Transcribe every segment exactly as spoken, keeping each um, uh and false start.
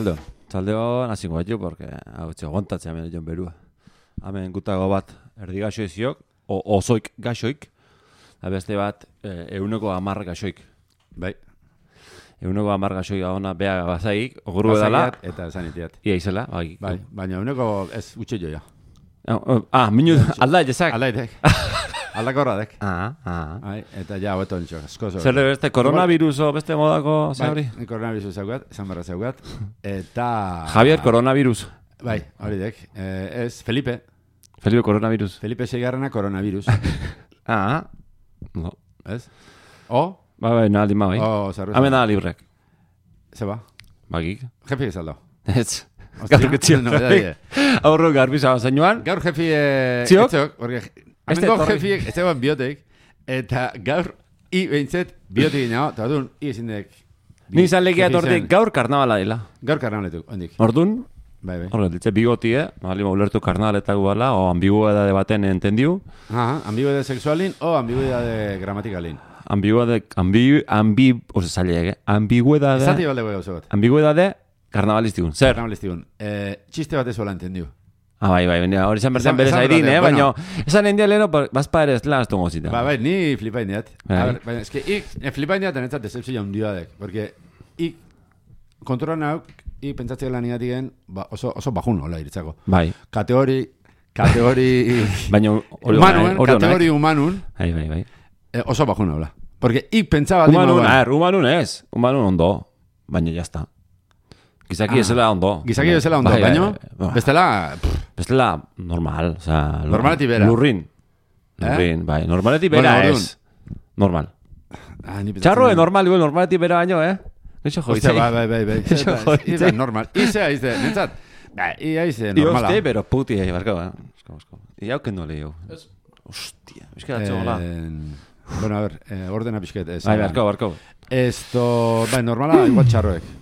Arratzaldeon. Arratzaldeon, hasi guaitu, porque hau txe, gontatzea hemen joan berua. Hemen gutago bat erdi gaxoiziok, o osoik gaxoik, eta beste bat euneko hamar gaxoik. Bai. Euneko hamar gaxoik ona bea bazaik, ogurru edala. Eta esan itiat. Ia izela, bai. Bai, baina euneko ez utxe joia. Ah, minu, alda etxezak. Alda etek. Aldakorra dek. Ah, ah. Bai, eta ja, hobeto nintxo. Zer de beste, koronaviruso, beste modako, zeuri? Bai, koronaviruso zaugat, esan barra zaugat. Eta... Javier, koronavirus. Bai, hori dek. Eh, ez, Felipe. Felipe, koronavirus. Felipe seigarrena koronavirus. Ah, no. Ez? O? Ba, bai, naldi ma, bai. O, zarru. Hemen da librek. Zeba? Bagik. Jefi ezaldo. Ez. Gaur ketxio. Aurro garbiza zainuan. Gaur jefi... Txiok? Etxok, Amengo jefiek, ez egon biotek, eta gaur, i behintzet, biotek gina, eta odun, i ezin dek... Ni izan legia etortik gaur karnabala dela. Gaur karnabaletuk, ondik. Ordun, bai, bai. Horret, ditze bigotie, bali ulertu karnabaletako bala, o ambiguedade baten entendiu. Aha, ambiguedade sexualin, o ambiguedade gramatikalin. Ambiguedade, ambi, ambi, ose saliek, eh? Ambiguedade... Zati balde goi gauzo bat. Ambiguedade karnabalistikun, zer? Karnabalistikun. Eh, txiste bat ezola entendiu. Ah, bai, bai, hori izan bertan berez airin, eh? Baina, esan hendia leheno, bazpa ere ez lan aztu gozita. Ba, bai, ni flipa indiat. A ver, baina, eske, ik, flipa indiat anetzat decepzio hundia dek. Porque, ik, kontrolan hau, ik pentsatzea lan igatigen, ba, oso, oso bajun hola iritzako. Bai. Kategori, kategori... Baina, hori humanun, kategori humanun. Bai, bai, bai. Eh, oso bajun hola. Porque, ik pentsaba... Humanun, a ver, humanun ez. Humanun ondo. Baina, jazta. Gizaki ah, ezela ondo. Gizaki ezela ondo, baina, bestela... Bestela normal, o sea... Normaleti bera. Lurrin. Lurrin, eh? Bai. Normaleti bera bueno, ez. Normal. Ah, Txarro, normal, igual, normaleti bera baino, eh? Neixo joitzei. Bai, bai, bai, bai. Neixo joitzei. Normal. Izea, izte, nintzat. Bai, ia izte, normala. Ioste, pero puti, eh, barko, eh? Esko, esko. Ia auken dole, jo. Hostia, bizkera txogola. Bueno, a ver, eh, ordena pixket. Bai, barko, barko. Esto, bai, normala, igual txarroek.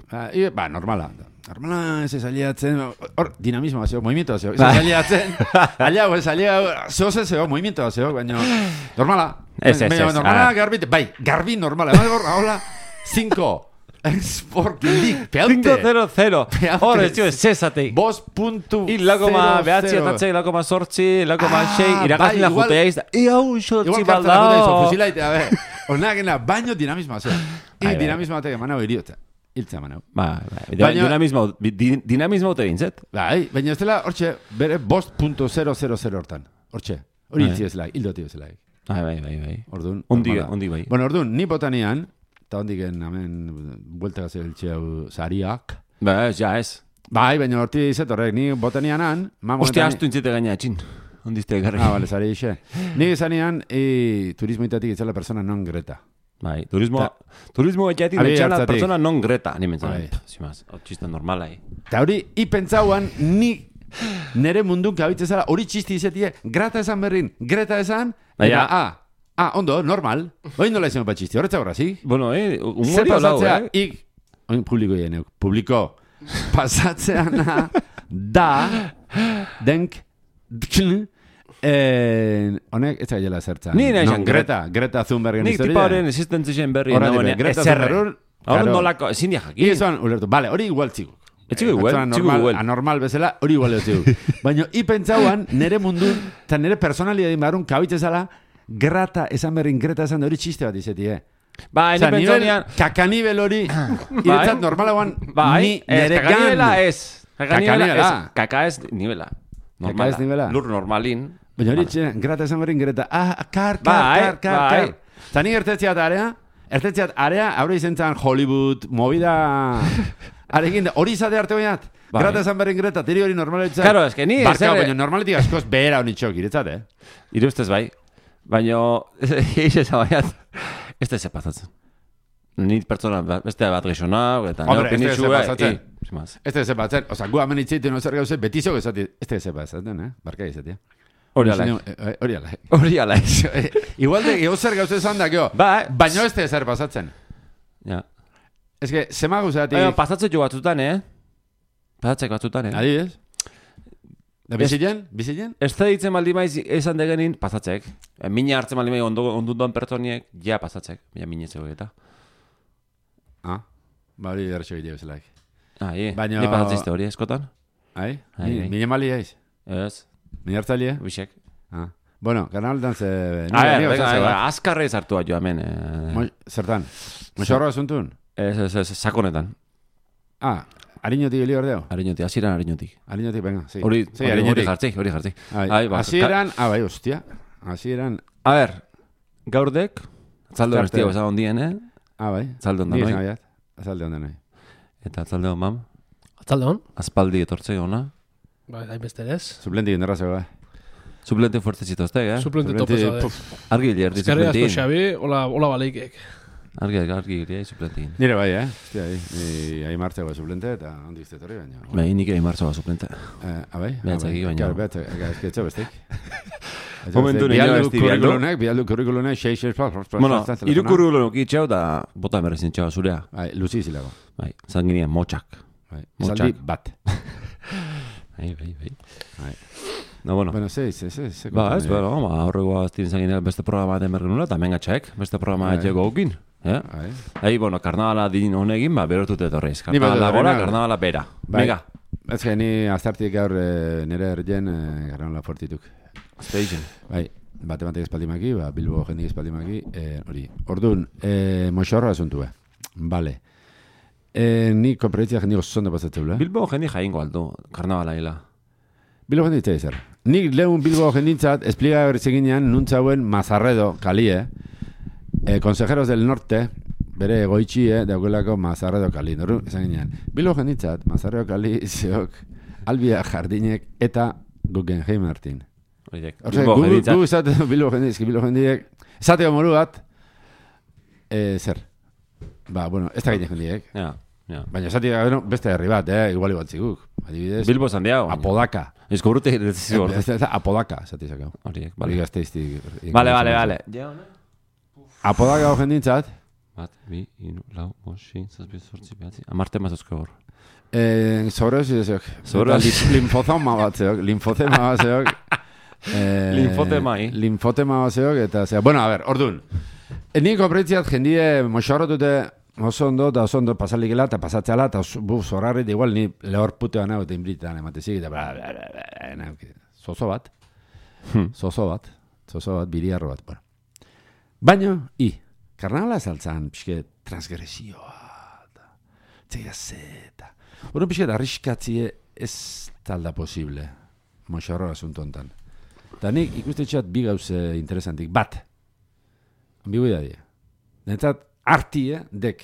Ba, normala. Normala, ez ezaliatzen, hor, dinamismo bazeo, movimiento bazeo, ez ezaliatzen, aliago, ez aliago, zehoz ez zeo, movimiento bazeo, baina, normala. Ez, ez, ez. Normala, garbi, bai, garbi normala, hola, cinco, Sport League, peaute. cinco cero cero, hor, ez jo, ez zezatei. Bos puntu zero zero. Ilakoma behatzi atatzei, ilakoma sortzi, ilakoma xei, irakazila juteaiz, iau, xotzi baldao. Igual fusilaite, a ver, onagena, baino dinamismo bazeo. I dinamismo batek emanau iriota. Hiltza manau. Ba, ba, dinamismo, dinamismo te bintzet. Bai, baina ez dela, hortxe, bere bost puntu zero zero zero hortan. Hortxe, hori hiltzi ez laik, hildo tio ez laik. Bai, bai, bai, bai. Orduan. Ondi, ondi bai. Bueno, orduan, ni botanian, eta ondiken, hemen, buelta gazio hiltxe hau zariak. Ba, ez, ja, ez. Bai, baina horti izet horrek, ni botanianan... Ostia, astu intzite gaina etxin. Ondizte egarri. Ah, bale, zari ixe. Ni izanean, turismoitatik itzela persona non greta. Bai, turismo, turismo etxeatik etxela persona non greta, ni mentzan. Zimaz, txista normala, eh. Eta hori, i pentsauan, ni nere mundun kabitzezala, hori txisti izetie, grata esan berrin, greta esan, eta, ah, ah, ondo, normal. Hoi nola izan bat txisti, horretza horra, zi? Bueno, eh, humori hau lau, eh? Ik, oin publiko jeneuk, publiko, pasatzeana, da, denk, dkn, Eh, honek ez gaila zertzen. Ni nahi no, Greta, Greta Thunbergen historia. Nik tipa horren existentzien berri. Horra dibe, Greta Thunbergen. Horren nolako, ezin diak jakin. Izuan, ulertu, bale, hori igual txigu. Etxigu igual, txigu igual. Anormal bezala, hori igual txigu. Baina, i pentsauan, nere mundun, eta nere personalidadin barun, kabitzezala, Greta esan berrin, Greta esan da hori txiste bat izeti, eh? Ba, ni pentsauan... Kakanibel hori, iretzat normalagoan, ni nere gan. Kakanibela ez. Kakanibela ez. Kaka ez nivela. Kaka ez nivela. Lur normalin. Baina hori txena, grata esan berrin greta. Ah, kar, kar, kar, kar, kar. Zani ertetziat area, ertetziat area, haure izentzan Hollywood, movida... Arekin, hori izate arte bainat. Grata esan berrin greta, tiri hori normaletzat. Karo, ez que ni... Barkao, baina normaletik askoz behera honi txok, iretzat, eh? Irustez bai. Baina, eiz ez abaiat, ez da zepazatzen. Ni pertsona, beste bat gexona, eta Hombre, ez da zepazatzen. Ez da ez zepazatzen. Osa, gu hamen itzeiten ozer gauze, betizok ezati, ez da zepazatzen, eh? Barka izatea. Hori alai. Hori alai. Hori alai. Igual de gauzer gauze esan da, gio. Ba, baina ez da ezer pasatzen. Ja. Ez que, zema gauzeatik... Baina, pasatzen jo batzutan, eh? Pasatzek batzutan, eh? Adibidez? Da bizilen? Bizilen? Ez da ditzen maldi maiz esan degenin, pasatzek. Mina hartzen maldi maiz ondunduan pertsoniek, ja pasatzek. Baina mina zego eta. Ah, ba hori derretxo egitea bezalaik. Ai, Baina... ni pasatzizte hori eskotan? Ai? Ai, ai. Mine mali eiz? Ez. Mine hartzaile? Bixek. Ah. Bueno, karnaldan ze... A ver, venga, venga, azkarre zartu bat joa hemen. Mo, zertan? Moxorroa zuntun? Ez, ez, ez, sakonetan. Ah, hariñotik hili ordeo? Hariñotik, hasieran hariñotik. Hariñotik, venga, sí. Hori, sí, hori jartzi, hori jartzi. Hasieran, ah, bai, hostia. Hasieran... A ver, gaurdek, atzalde bestia bezan ondien, eh? Ah, bai. Atzalde ondan, noi? Ni atzalde ondan, noi. Eta atzalde on, mam? Atzalde on? Aspaldi etortze ona. Ba, dain beste ez. Suplenti gindarra zego, eh? Suplente fuerte zitoztek, eh? Suplente topezo, eh? Argi hili erdi suplentin. suplentin. Eskerri asko Xabi, hola, hola baleikek. Argi, argi hili suplentin. Nire bai, eh? Hostia, ni ahi martzeko suplente eta handi izte torri baina. Bai, nik egin martzoa suplente. Eh, abai? Behatzaki baina. Klar, behatzaki, ezketxo bestek. Momentu nire besti bialdu. Bialdu kurrikulunek, xeix, xeix, Bueno, iru kurrikulunok itxeu da bota merezin txau zurea. Bai, luzi zilago. Bai, zanginien motxak. Bai, esaldi bat. Bai, bai, bai. Bai. No, bueno. Bueno, sí, sí, sí. Ba, ez, bueno, ba, horregoa aztin zanginea beste programa den bergenula, eta mengatxaek, beste programa etxeko aukin. Eh? Bai. Bai, bueno, karnabala din honegin, ba, berotut etorreiz. Karnabala gora, karnabala bera. Venga. Ez que ni aztartik gaur nire ergen karnabala fortituk. Station. Bai, bate batek espaldimaki, ba, Bilbo jendik espaldimaki, hori. Orduan, moxorra asuntua. Vale. Ni konferentzia jendik oso pasatzeu, eh? Bilbo jendik jaingo aldu, karnabala hila. Bilbo jenditza ezer. Nik lehun Bilbo jendintzat, espliga bertzeginean, nuntzauen Mazarredo, kalie, eh, Consejeros del Norte, bere egoitxie, daukelako Mazarredo kali. Noru, esan ginean. Bilbo jendintzat, Mazarredo kali, zeok, Albia Jardinek, eta Guggenheim Martin. Oidek, Bilbo jendintzat. Gu izate Bilbo jendintzat, Bilbo jendintzat, esateko moru bat, eh, zer. Ba, bueno, ez da gine jendiek. Ja. Ja. Baina esati bueno, beste herri bat, eh, igual igualtzikuk. Adibidez. Bilbo Santiago. Apodaka. Esko urte iretizu hor. Apodaka, esati zakau. Horiek, bale. Gazteiztik. Bale, bale, bale. Apodaka hor jendintzat. Bat, bi, inu, lau, bosi, zazpi, zortzi, behatzi. Amarte mazozko hor. Eh, Sobreosi zeok. Sobreosi. Linfozoma bat zeok. Linfozema bat zeok. Eh, Linfotema, eh? Linfotema bat zeok. Eta zera, bueno, a ver, ordun. Niko preitziat jendie moxorrotute oso ondo, eta oso ondo pasalikela, eta pasatzeala, eta buf, zorrarri, da igual, ni lehor putean hau, eta inbritan ematezik, eta bla, bla, bla, bla, bla, zozo bat, zozo bat, zozo bat, biriarro bat, bueno. Baina, i, karnabala saltzan, pixke, transgresioa, eta, txeia zeta, hori pixke, arriskatzie ez talda posible, moxorro asunto ontan. Eta nik ikuste txat bi gauze interesantik, bat, ambiguidadea, netzat, artie, dek,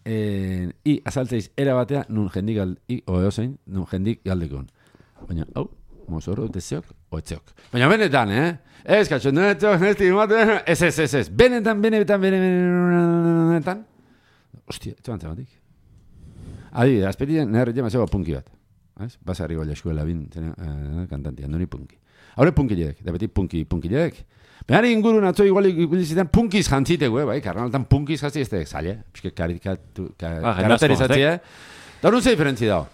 eh, i azaltzeiz era batea, nun jendik galdi, i oeozein, nun jendik galdekon. Baina, hau, mozorro, dezeok, oetzeok. Baina benetan, eh? Ez, katxo, netzok, nesti, mate, ez, ez, ez, ez, benetan, benetan, benetan, hostia, etxo bantzen batik. Adi, azperien, nire jema zego punki bat. Ez? Basarri gola eskuela bin, eh, kantantia, nori punki. Haure punki jedek, da beti punki, punki jedek. Behar ingurun atzo igual ikusizetan punkiz jantzitegu, eh, bai, karnaltan punkiz jantzi ez da, zaila, pixke karikatu, karakterizatzea. Da horun ze diferentzi dago.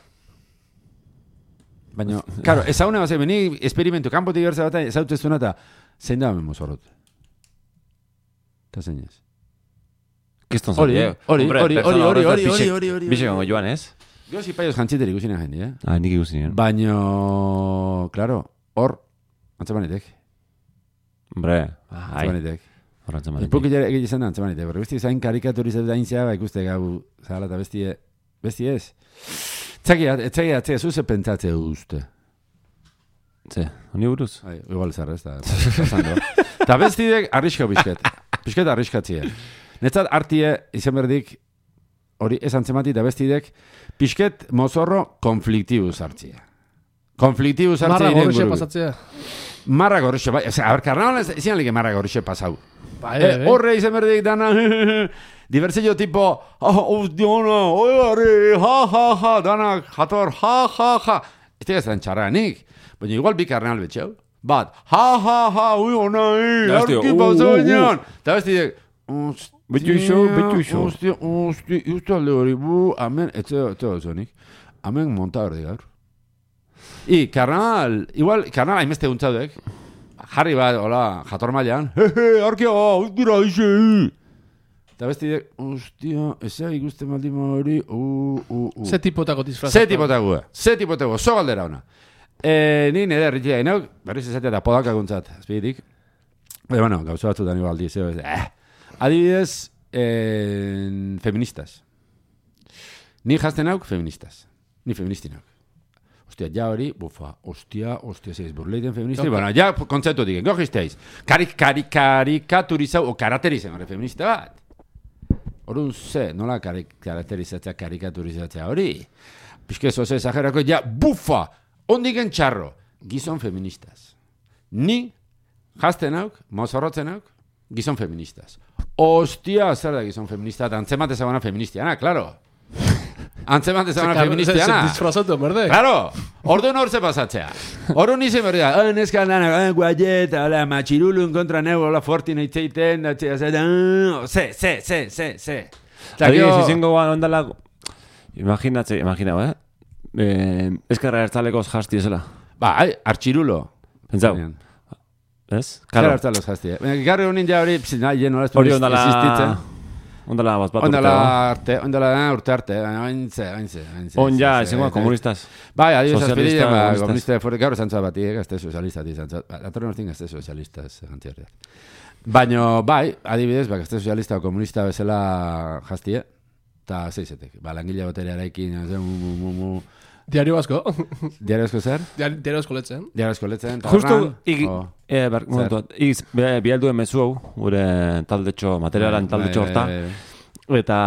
Baina, karo, ezaune bat zein, ni esperimentu, kanpotik gertza bat, ezautezuna eta zein da hemen mozorrot. Eta zein ez. Kiston Hori, zaila. hori, hori, hori, hori, hori, hori, hori, hori. Bixe gongo joan, ez? Gozi paioz jantziter ikusina jendi, eh? Ah, nik ikusinen. Baina, klaro, hor, antzamanetek. Hombre, ai. Antzamanetek. Hor antzamanetek. Ipuk egin izan da antzamanetek. Berre, besti zain karikaturizatu daintzea, ba, ikuste gau, zagala eta bestie, besti ez. Txakia, txakia, txakia, zuze pentsatze uste. Ze, honi buruz? Ai, igual zarra ez da. Eta bestidek arriska bizket. Bizket arriskatzea. Netzat artie izan berdik, hori ez antzemati eta bestidek, pixket mozorro konfliktibuz hartzia. Konfliktibuz hartzia. Marra gorrixe pasatzea. Marra gorrixe, bai. Ose, aber, karnabalan ez izan like marra gorrixe pasau. Bai, eh, horre izan berdik dana, diversillo tipo, ah, ustiona, oiari, ha, ha, ha, dana, jator, ha, ha, ha. Ez tega zan txarranik, baina igual bi karnabal betxeu. Bat, ha, ha, ha, ui, ona, eh, arki pasau inan. Eta bestidek, Betu iso, betu iso. Ostia, ostia, justo alde hori, bu, amen, etzeo, etzeo zonik. Amen monta berdi gaur. I, karnabal, igual, karnabal hainbeste guntzaudek. Jarri bat, hola, jator mailan. He, he, arkia, uzdira, ixe, Eta besti dek, ostia, eza ikusten baldin hori, uh, uh, uh. Ze tipotako disfrazatu. Ze tipotako, ze tipotako, zo galdera ona. E, ni nire erritia inauk, berriz ezatea eta podakaguntzat, azpiditik. E, bueno, gauza batzutan igual aldi, zeo, eh. Adibidez, eh, feministas. Ni jazten auk, feministas. Ni feministin auk. Ostia, ja hori, bufa, ostia, ostia, zeiz, burleiten feministi, okay. Bueno, ja, kontzeptu diken, gogizteiz. Karik, karik, karikaturizau, o karaterizen, hori feminista bat. Horun ze, nola karik, karakterizatzea, karikaturizatzea hori. Pizke zoze, esagerako, ja, bufa, ondiken txarro, gizon feministas. Ni, jazten auk, mozorrotzen auk, gizon feministas. Ostia, zer da gizon feminista, antzemat ezaguna feministiana, klaro. Antzemat ezaguna feministiana. Se disfrazatu, berde? Claro, orduan hor ze pasatzea. Orduan izen berdia, ah, neskan dana, guaieta, hola, matxirulun kontra neu, hola, fortin eitzeiten, ze, ze, ze, ze, ze. Hori, zizengo guan ondala, imaginatze, imaginau, eh? eh Eskerra ertzalekoz jasti ezela. Ba, ai, artxirulo. Pentsau. Ez? Eskerra ertzalekoz jasti, eh? Garri honin ja hori, psi, nahi, no, hori ondala... Ondala bat bat urte. Ondala arte, ondala urte arte, ointze, ointze, ointze. On ja, izango, komunistas. Bai, adibidez azpidien, ba, komunista forek gaur zantzua bat, gazte sozialistat izan. Atorren hortin gazte sozialistas, gantzi horreat. Baina, bai, adibidez, ba, gazte sozialista o komunista bezala jaztie, eta zeizetek. Ba, langile botere araikin, mu, mu, mu, mu. Diario asko. Diario asko zer? Diario asko letzen. Diario asko letzen. Justu, igi, eh, ber, momentu, igiz, bialduen mezu hau, gure taldetxo, materialan taldetxo horta. Eta,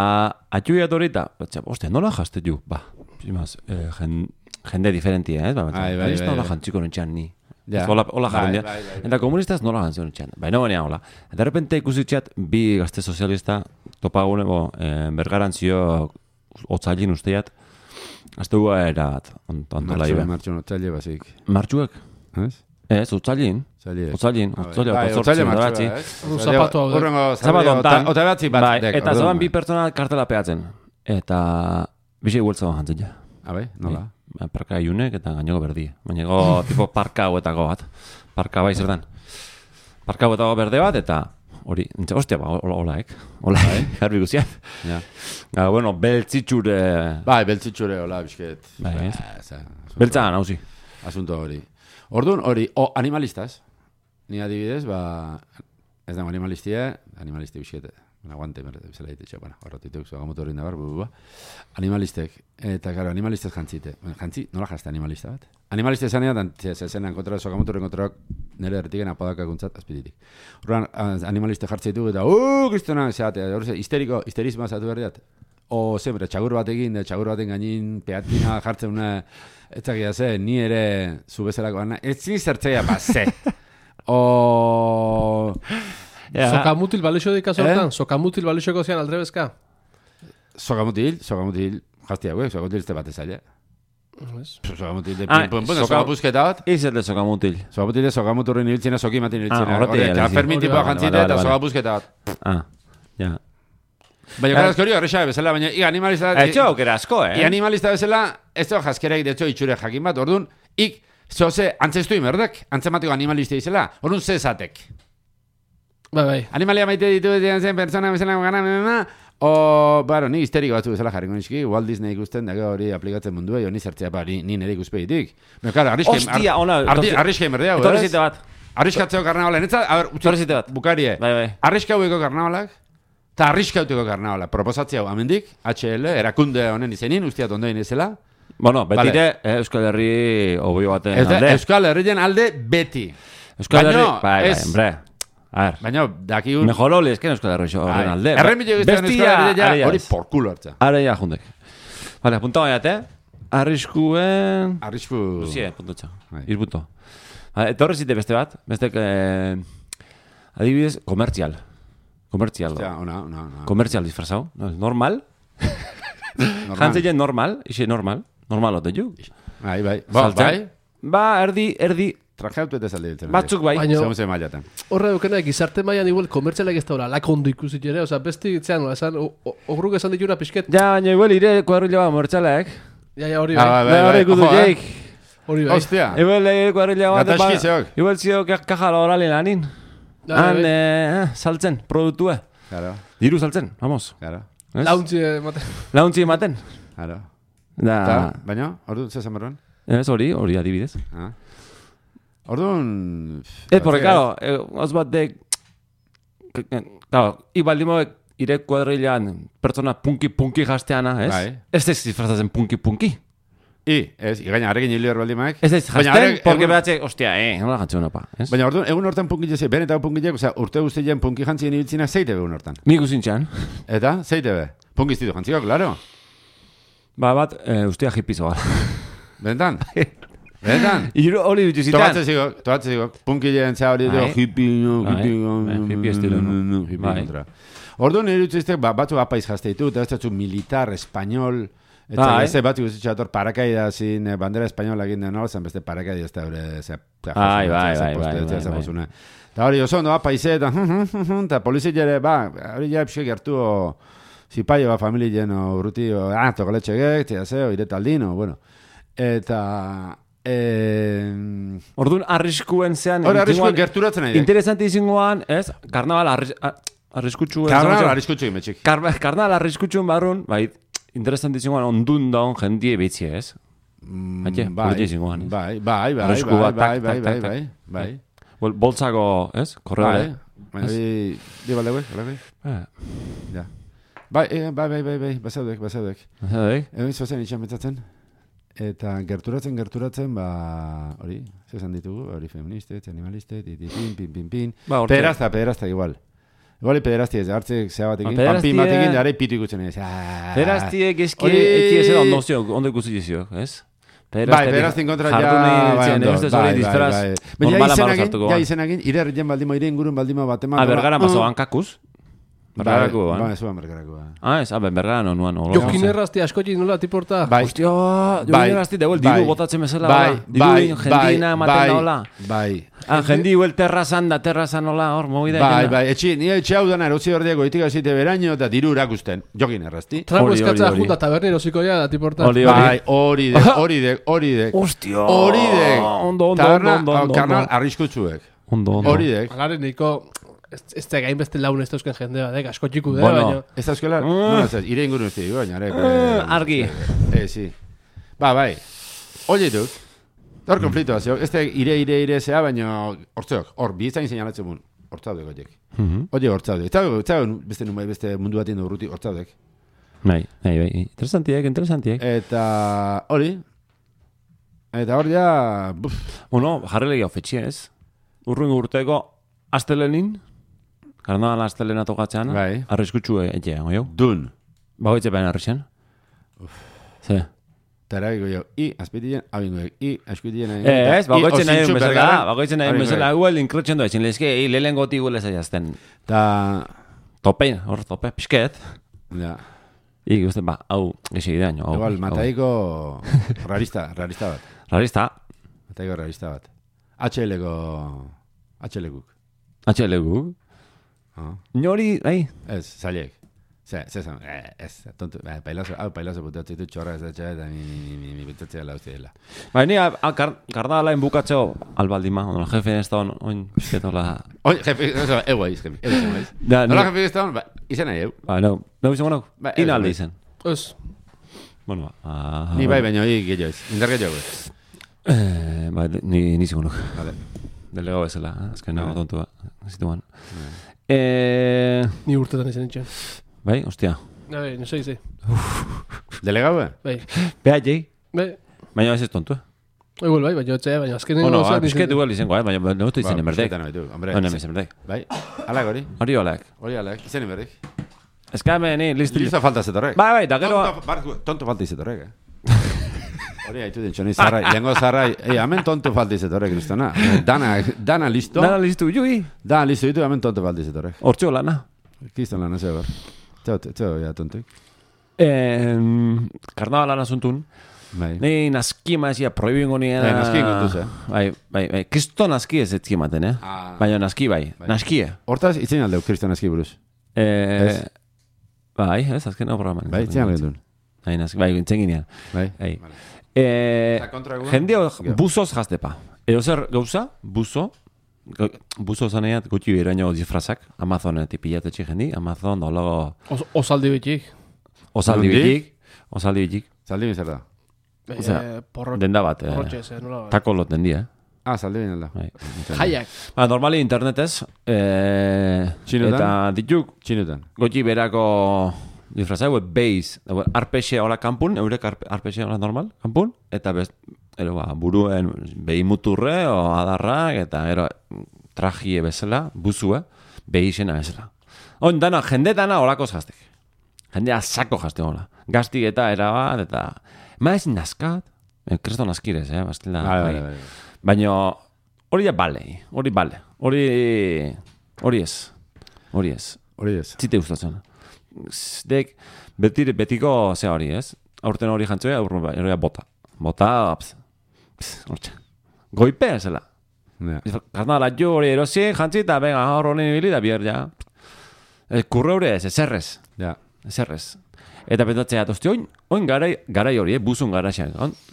atxuiat horita, ostia, nola jazte ju? Ba, zimaz, eh, jen, jende diferentia, eh? Ba, bai, bai, bai, nola jantziko nintxan ni. Ja. Hola, hola jarrendia. Bai, bai, bai. Eta komunistaz nola jantziko nintxan. Baina baina hola. Eta errepente ikusitxat, bi gazte sozialista, topaguneko, eh, bergarantzio, otzailin usteiat, azte hua erat, ontola ibe. Martxun, otzaile basik. Martxuek? Ez? Ez, otzailin. Otzailin, otzailin, otzailin batzi. Un zapato hau. Zapato ontan. Ota batzi bat. Bai, eta zoan bi pertsona kartela peatzen. Eta bizi gueltza bat jantzen ja. Abai, nola? Parka iunek eta gainoko berdi. Baina tipo parka hauetako bat. Parka bai zertan. Parka hauetako berde bat eta hori, ostia, ba, hola, ek. Hola, garbi guziat. Ja. Bueno, beltzitxure... Bai, beltzitxure, hola, bisket. Bai, beltzagan, hauzi. Asunto hori. Orduan, hori, o, animalistas. Ni adibidez, ba... Ez dago animalistia, animalisti bisket. Aguante, bezala ditetxe, bueno, horretituk, zogamotu hori nabar, bu, bu, animalistek. Eta, karo, animalistek jantzite. Jantzi, nola jazte animalista bat? Animaliste zanean, zezenan kontra, zogamoturen kontra, nire erretiken apodakaguntzat, azpiditik. Horren, animaliste jartzeitu eta, uuuu, kristona, zeate, horre, histeriko, histerismoa zatu berdiat. O, zembre, txagur batekin, txagur baten gainin, peatina jartzen una, etzakia ze, ni ere, zu bezalako, ez zin zertzeia, ba, ze. O... Yeah. Sokamutil balixo dik azortan? Eh? Sokamutil balixoko zian aldrebezka? Sokamutil, sokamutil, jazti hau, sokamutil este bat ezaile. Sokamutil de ah, pum pum, sokapuzketa bat. Izer de sokamutil. Sokamutil de sokamuturren ibiltzena, sokimatin ibiltzena. Ah, horreti egin. Fermin tipo jantzite eta sokapuzketa bat. Ah, ja. Baina gara hori horrexabe bezala, baina i animalista... Etxo aukera asko, eh? I animalista bezala, ez da jazkerak de etxo itxure jakin bat, orduan, ik, zoze, antzestu imerdek, antzematiko animalista izela, orduan ze esatek. Bai, bai. Animalia maite ditu dian zen persona bezala gana, mena, o, baro, ni histeriko batzu bezala jarriko nizki, Walt Disney ikusten dago hori aplikatzen mundua, jo ni zertzea ba, ni, ni nire ikuspeitik. Baina, klar, arriske... Ostia, ona... Arriske emerdea, ez? Etorrezite bat. Arriskatzeko karnabalak, netza, a ber, Etorrezite bat. Bukarie. Bai, bai. Arriskaueko karnabalak, eta arriskauteko karnabalak. Proposatzea hau, amendik, H L, erakunde honen izenin, ustiat ondoen izela. Bueno, betire, vale. Euskal Herri obio baten alde. Euskal Herrien alde beti. Euskal Herri, bai, bai, hombre. A ver. Baina, daki un... Mejor oli, es que no es que horren alde. Erremillo gizten Euskal Herria ja, hori por culo hartza. Ara ja, jundek. Vale, apunta baiat, eh? Arriskuen... Arrisku... Luzie, puntotxa. Irpunto. Etorre zite beste bat, beste... Eh, adibidez, komertzial. Komertzial. Ostia, ona, ona, ona. Komertzial disfrazau. Normal. Jantzien normal, ixe normal. Normal ote ju. Bai, bai. Ba, bai? Ba, erdi, erdi... Trajautu eta zalde ditzen. Batzuk bai. Zemun ze mailatan. Horre dukena, gizarte mailan igual komertzialak ez da hori, lakondo ikusit ere, oza, besti itzean, esan, ogruk esan dituna pixket. Ja, baina igual ire kuadrilla bat mortxalak. Ja, ja, hori bai. Ah, bai, bai, bai. Hori bai. Hostia. Igual ire kuadrilla bat. Gataski zeok. Igual zio kaja laborali lanin. Han, saltzen, produktue. Claro. Diru saltzen, vamos. Claro. Launtzi ematen. Launtzi ematen. Claro. Da... Ta, baina, orduan, zesan berroan? Ez hori, hori adibidez. Ah. Orduan... Ez, porque, claro, oz bat de... Claro, ibaldimoek ire kuadrilan pertsona punki-punki jasteana, ez? Bai. Ez ez disfrazatzen punki-punki. I, ez, igaina, arekin hilior baldimaek. Ez ez jasten, porque behatxe, ostia, eh, nola jantzuen opa, ez? Baina orduan, egun hortan punki jese, benetan punki jek, oza, urte guztien punki jantzien ibiltzina zeite be egun hortan. Nik uzintxan. Eta, zeite be. Punki iztitu jantziko, klaro. Ba bat, e, ustea hipizo gara. Benetan? Benetan? Iru hori dituzitan. Tobatze zigok, tobatze zigok. Punki jentzea hori edo, hippie, no, hippie, hippie estilo, no? Hippie kontra. Orduan irutziztek, batzu apaiz jazte ditu, eta ez datzu militar, espanyol, eta ez bat iguzitxator parakaida zin, bandera espainola egin den hori, beste parakaida ez da hori, bai, bai, bai, bai. Eta hori oso ondo apaize, eta polizit jere, ba, hori ja pixek gertu, zipaio ba, familien urruti, ah, tokoletxe gek, tia zeo, iretaldino, bueno. Eta... Eh... Orduan, arriskuen zean... Hora, arriskuen gerturatzen nahi. Interesanti izingoan, ez? Karnaval arris, arriskutsu... Karnaval arriskutsu imetxik. Kar, karnaval arriskutsu barrun, bai, interesanti izingoan ondun daun jendie betzie, ez? Mm, Haitxe, bai, izingoan, ez? bai, bai, bai, Arrisku bai, bat, bai, tak, bai, tak, bai, tak, bai, tak. bai. Bol, boltzako, ez? Korreore. Bai, bai, di balde guek, balde guek. Ja. Bai, bai, bai, bai, bai, basaudek, basaudek. Basaudek? Egon zozen itxan betzatzen. Eta gerturatzen, gerturatzen, ba, hori, zezan ditugu, hori feministet, animalistet, pin, pin, pin, pin. Ba, pederazta, pederazta igual. Igual pederazti ez, hartzek zea batekin, ba, panpin batekin, dara pitu ikutzen ez. Pederaztiek eski, eki ez edo ondozio, ondo ikusi dizio, ez? Bai, pederaztin kontra ja, bai, ondo, bai, bai, bai. Baina izenagin, ja izenagin, ire herrien baldimo, ire ingurun baldimo bat eman. A, bergara mazo, hankakuz? Bergarako, ba? Ba, ez uan bergarako, ba. Ah, ez, aben, bergara no, nuan. Jokin errazti askotik nola tiporta. Bai. Hostia, jokin errazti, deuel, diru botatzen bezala, bai, bai, jendina ematen hola. Bai. Ah, jendi huel terrazan da, terrazan hola, hor, mogida. Bai, bai, etxi, nire etxe hau dana, erotzi berdiago, itik azite beraino, eta diru erakusten, jokin errazti. Trago eskatzea junta tabernero zikoia da tiporta. Bai, hori dek, hori dek, hori dek. Hostia, hori dek. Ondo, ondo, ondo, ondo. Karnal arriskutsuek. Ondo, ondo. Hori dek. Alaren niko... Ez da gain beste laun ez dauzken jende bat, asko txiku da, bueno, baina... Ez dauzkela, no, ez da, ire ingurun ez da, baina, argi. Eh, si. Ba, bai. Oye, duk, hor konfliktu bat, ez da ire, ire, ire zea, baina, hortzeok, hor, bizain seinalatzen mun, hortzaudek, oiek. Oie, hortzaudek. Eta beste numai, beste mundu batien urruti, hortzaudek. Bai, bai, bai, interesantiek, interesantiek. Eta, hori, eta hor ja, buf. Bueno, jarri legia ofetxe ez, urruin urteko, astelenin, Karnaval astelena tokatzean, bai. Arriskutsu etxea, goio? Dun. Bagoitze baina arrixen? Ze? Tarabiko jo, i, azpitien, abingoek, i, azpitien... Ez, bagoitzen nahi bezala, bagoitzen nahi bezala, huel inkretxen doa, zinlezke, i, lehen goti huel ezaiazten. Ta... Tope, hor, tope, pixket. Ja. I, guzten, ba, hau, gexi idean, hau. Igual, mataiko rarista, rarista bat. Rarista? Mataiko rarista bat. H L-ko... H L-kuk. H L-kuk? Nori, bai? Ez, zailek. Ze, ze zan, ez, tontu, pailazo, hau pailazo putatzi du txorra ez da txea, eta mi, mi, mi, mi, butatzea lau zidela. Bai, ni, kardala enbukatzeo, albaldima, ondo, jefe ez da hon, oin, esketola... Oin, jefe, eso, egu aiz, jefe, egu aiz. Nola jefe ez da hon, ba, izan nahi, eu? Ba, no, no izan gonok, ina alde izan. Ez. Bueno, ba... Ni bai, baina hori gehiago ez, indar gehiago ez. Ba, ni izan gonok. Vale. Delegau ezela, azken nago tontua, zituan. Eh... Ni urtetan izan itxen. Bai, hostia. Bai, no sei, sei. Delegau, eh? Bai. Beha, jei? Bai. Baina ez ez tontua. Igual, bai, baina otxe, baina azken... Bueno, ba, pisket igual izango, eh? Baina no estoy izan enberdek. Baina izan enberdek. Bai, alak hori? Hori olak. Hori alak, izan enberdek. Ez ka, ni, listo. Listo falta zetorrek. Bai, bai, da gero... Tonto falta izetorrek, eh? Hori haitu den txoni zarrai, lengo zarrai, ei, hemen tonto falta izetorrek, listona. Dana, dana listo. Dana listo, jui. Dana listo, ditu, hemen tonto falta izetorrek. Hortxo lana. Kiston lana, zeo, ber. Zeo, zeo, ja, tontoik. Karnaval lana zuntun. Bai. Ni naskima ezia proibingo nien... Bai, naski kontuz, eh? Bai, bai, bai. Kristo naski ez etzi ematen, eh? Ah. Baina naski bai, naskie. Hortaz, itzen aldeu, kristo naski buruz. Eh... Bai, ez, azken hau programan. Bai, itzen aldeu. Bai, naski, bai, itzen ginean. Bai. Bai. Eh... Jendeo buzoz jaztepa. Edo zer gauza, buzo, buzo zaneat gutxi beraino disfrazak, Amazonetik pilatetxe jendi, Amazon, dolago... Os, osaldi betik. Osaldi betik, osaldi betik. Zaldi bin zer da? Eh, porro, denda bat, eh, porrotxez, eh, nola bat. tako lot dendia, eh? Ah, zaldi bin alda. Jaiak. Ba, normali internetez, eh, Txinutan? eta dituk, Txinutan. gotxi berako disfrazak, hue beiz, arpexe hola kanpun, eurek arpexe hola normal, kanpun, eta best, ero, ba, buruen behi muturre, o adarrak, eta ero, trajie bezala, buzue, behi izena bezala. On, dana, jende dana holako jaztek. Jendea sako jazte hola. Gaztik eta erabat, eta... Ma ez nazkat, eh, kresto nazkirez, eh, bastela. Vale, vale, vale. Baina hori da bale, hori bale, hori hori ez, hori ez. Hori ez. Zite gustatzen. Dek, betire, betiko zea hori ez, aurten hori jantzoia, hori bota. Bota, ps, ps, hortxe. Goipe ezela. Ja. Karnala jo hori erosi, jantzi, eta venga, hor hori nibili, da bier, ja. Kurre hori ez, ezerrez, Ja. ezerrez. Eta pentsatzea, tosti, oin, oin garai, garai hori, eh, buzun garaxean.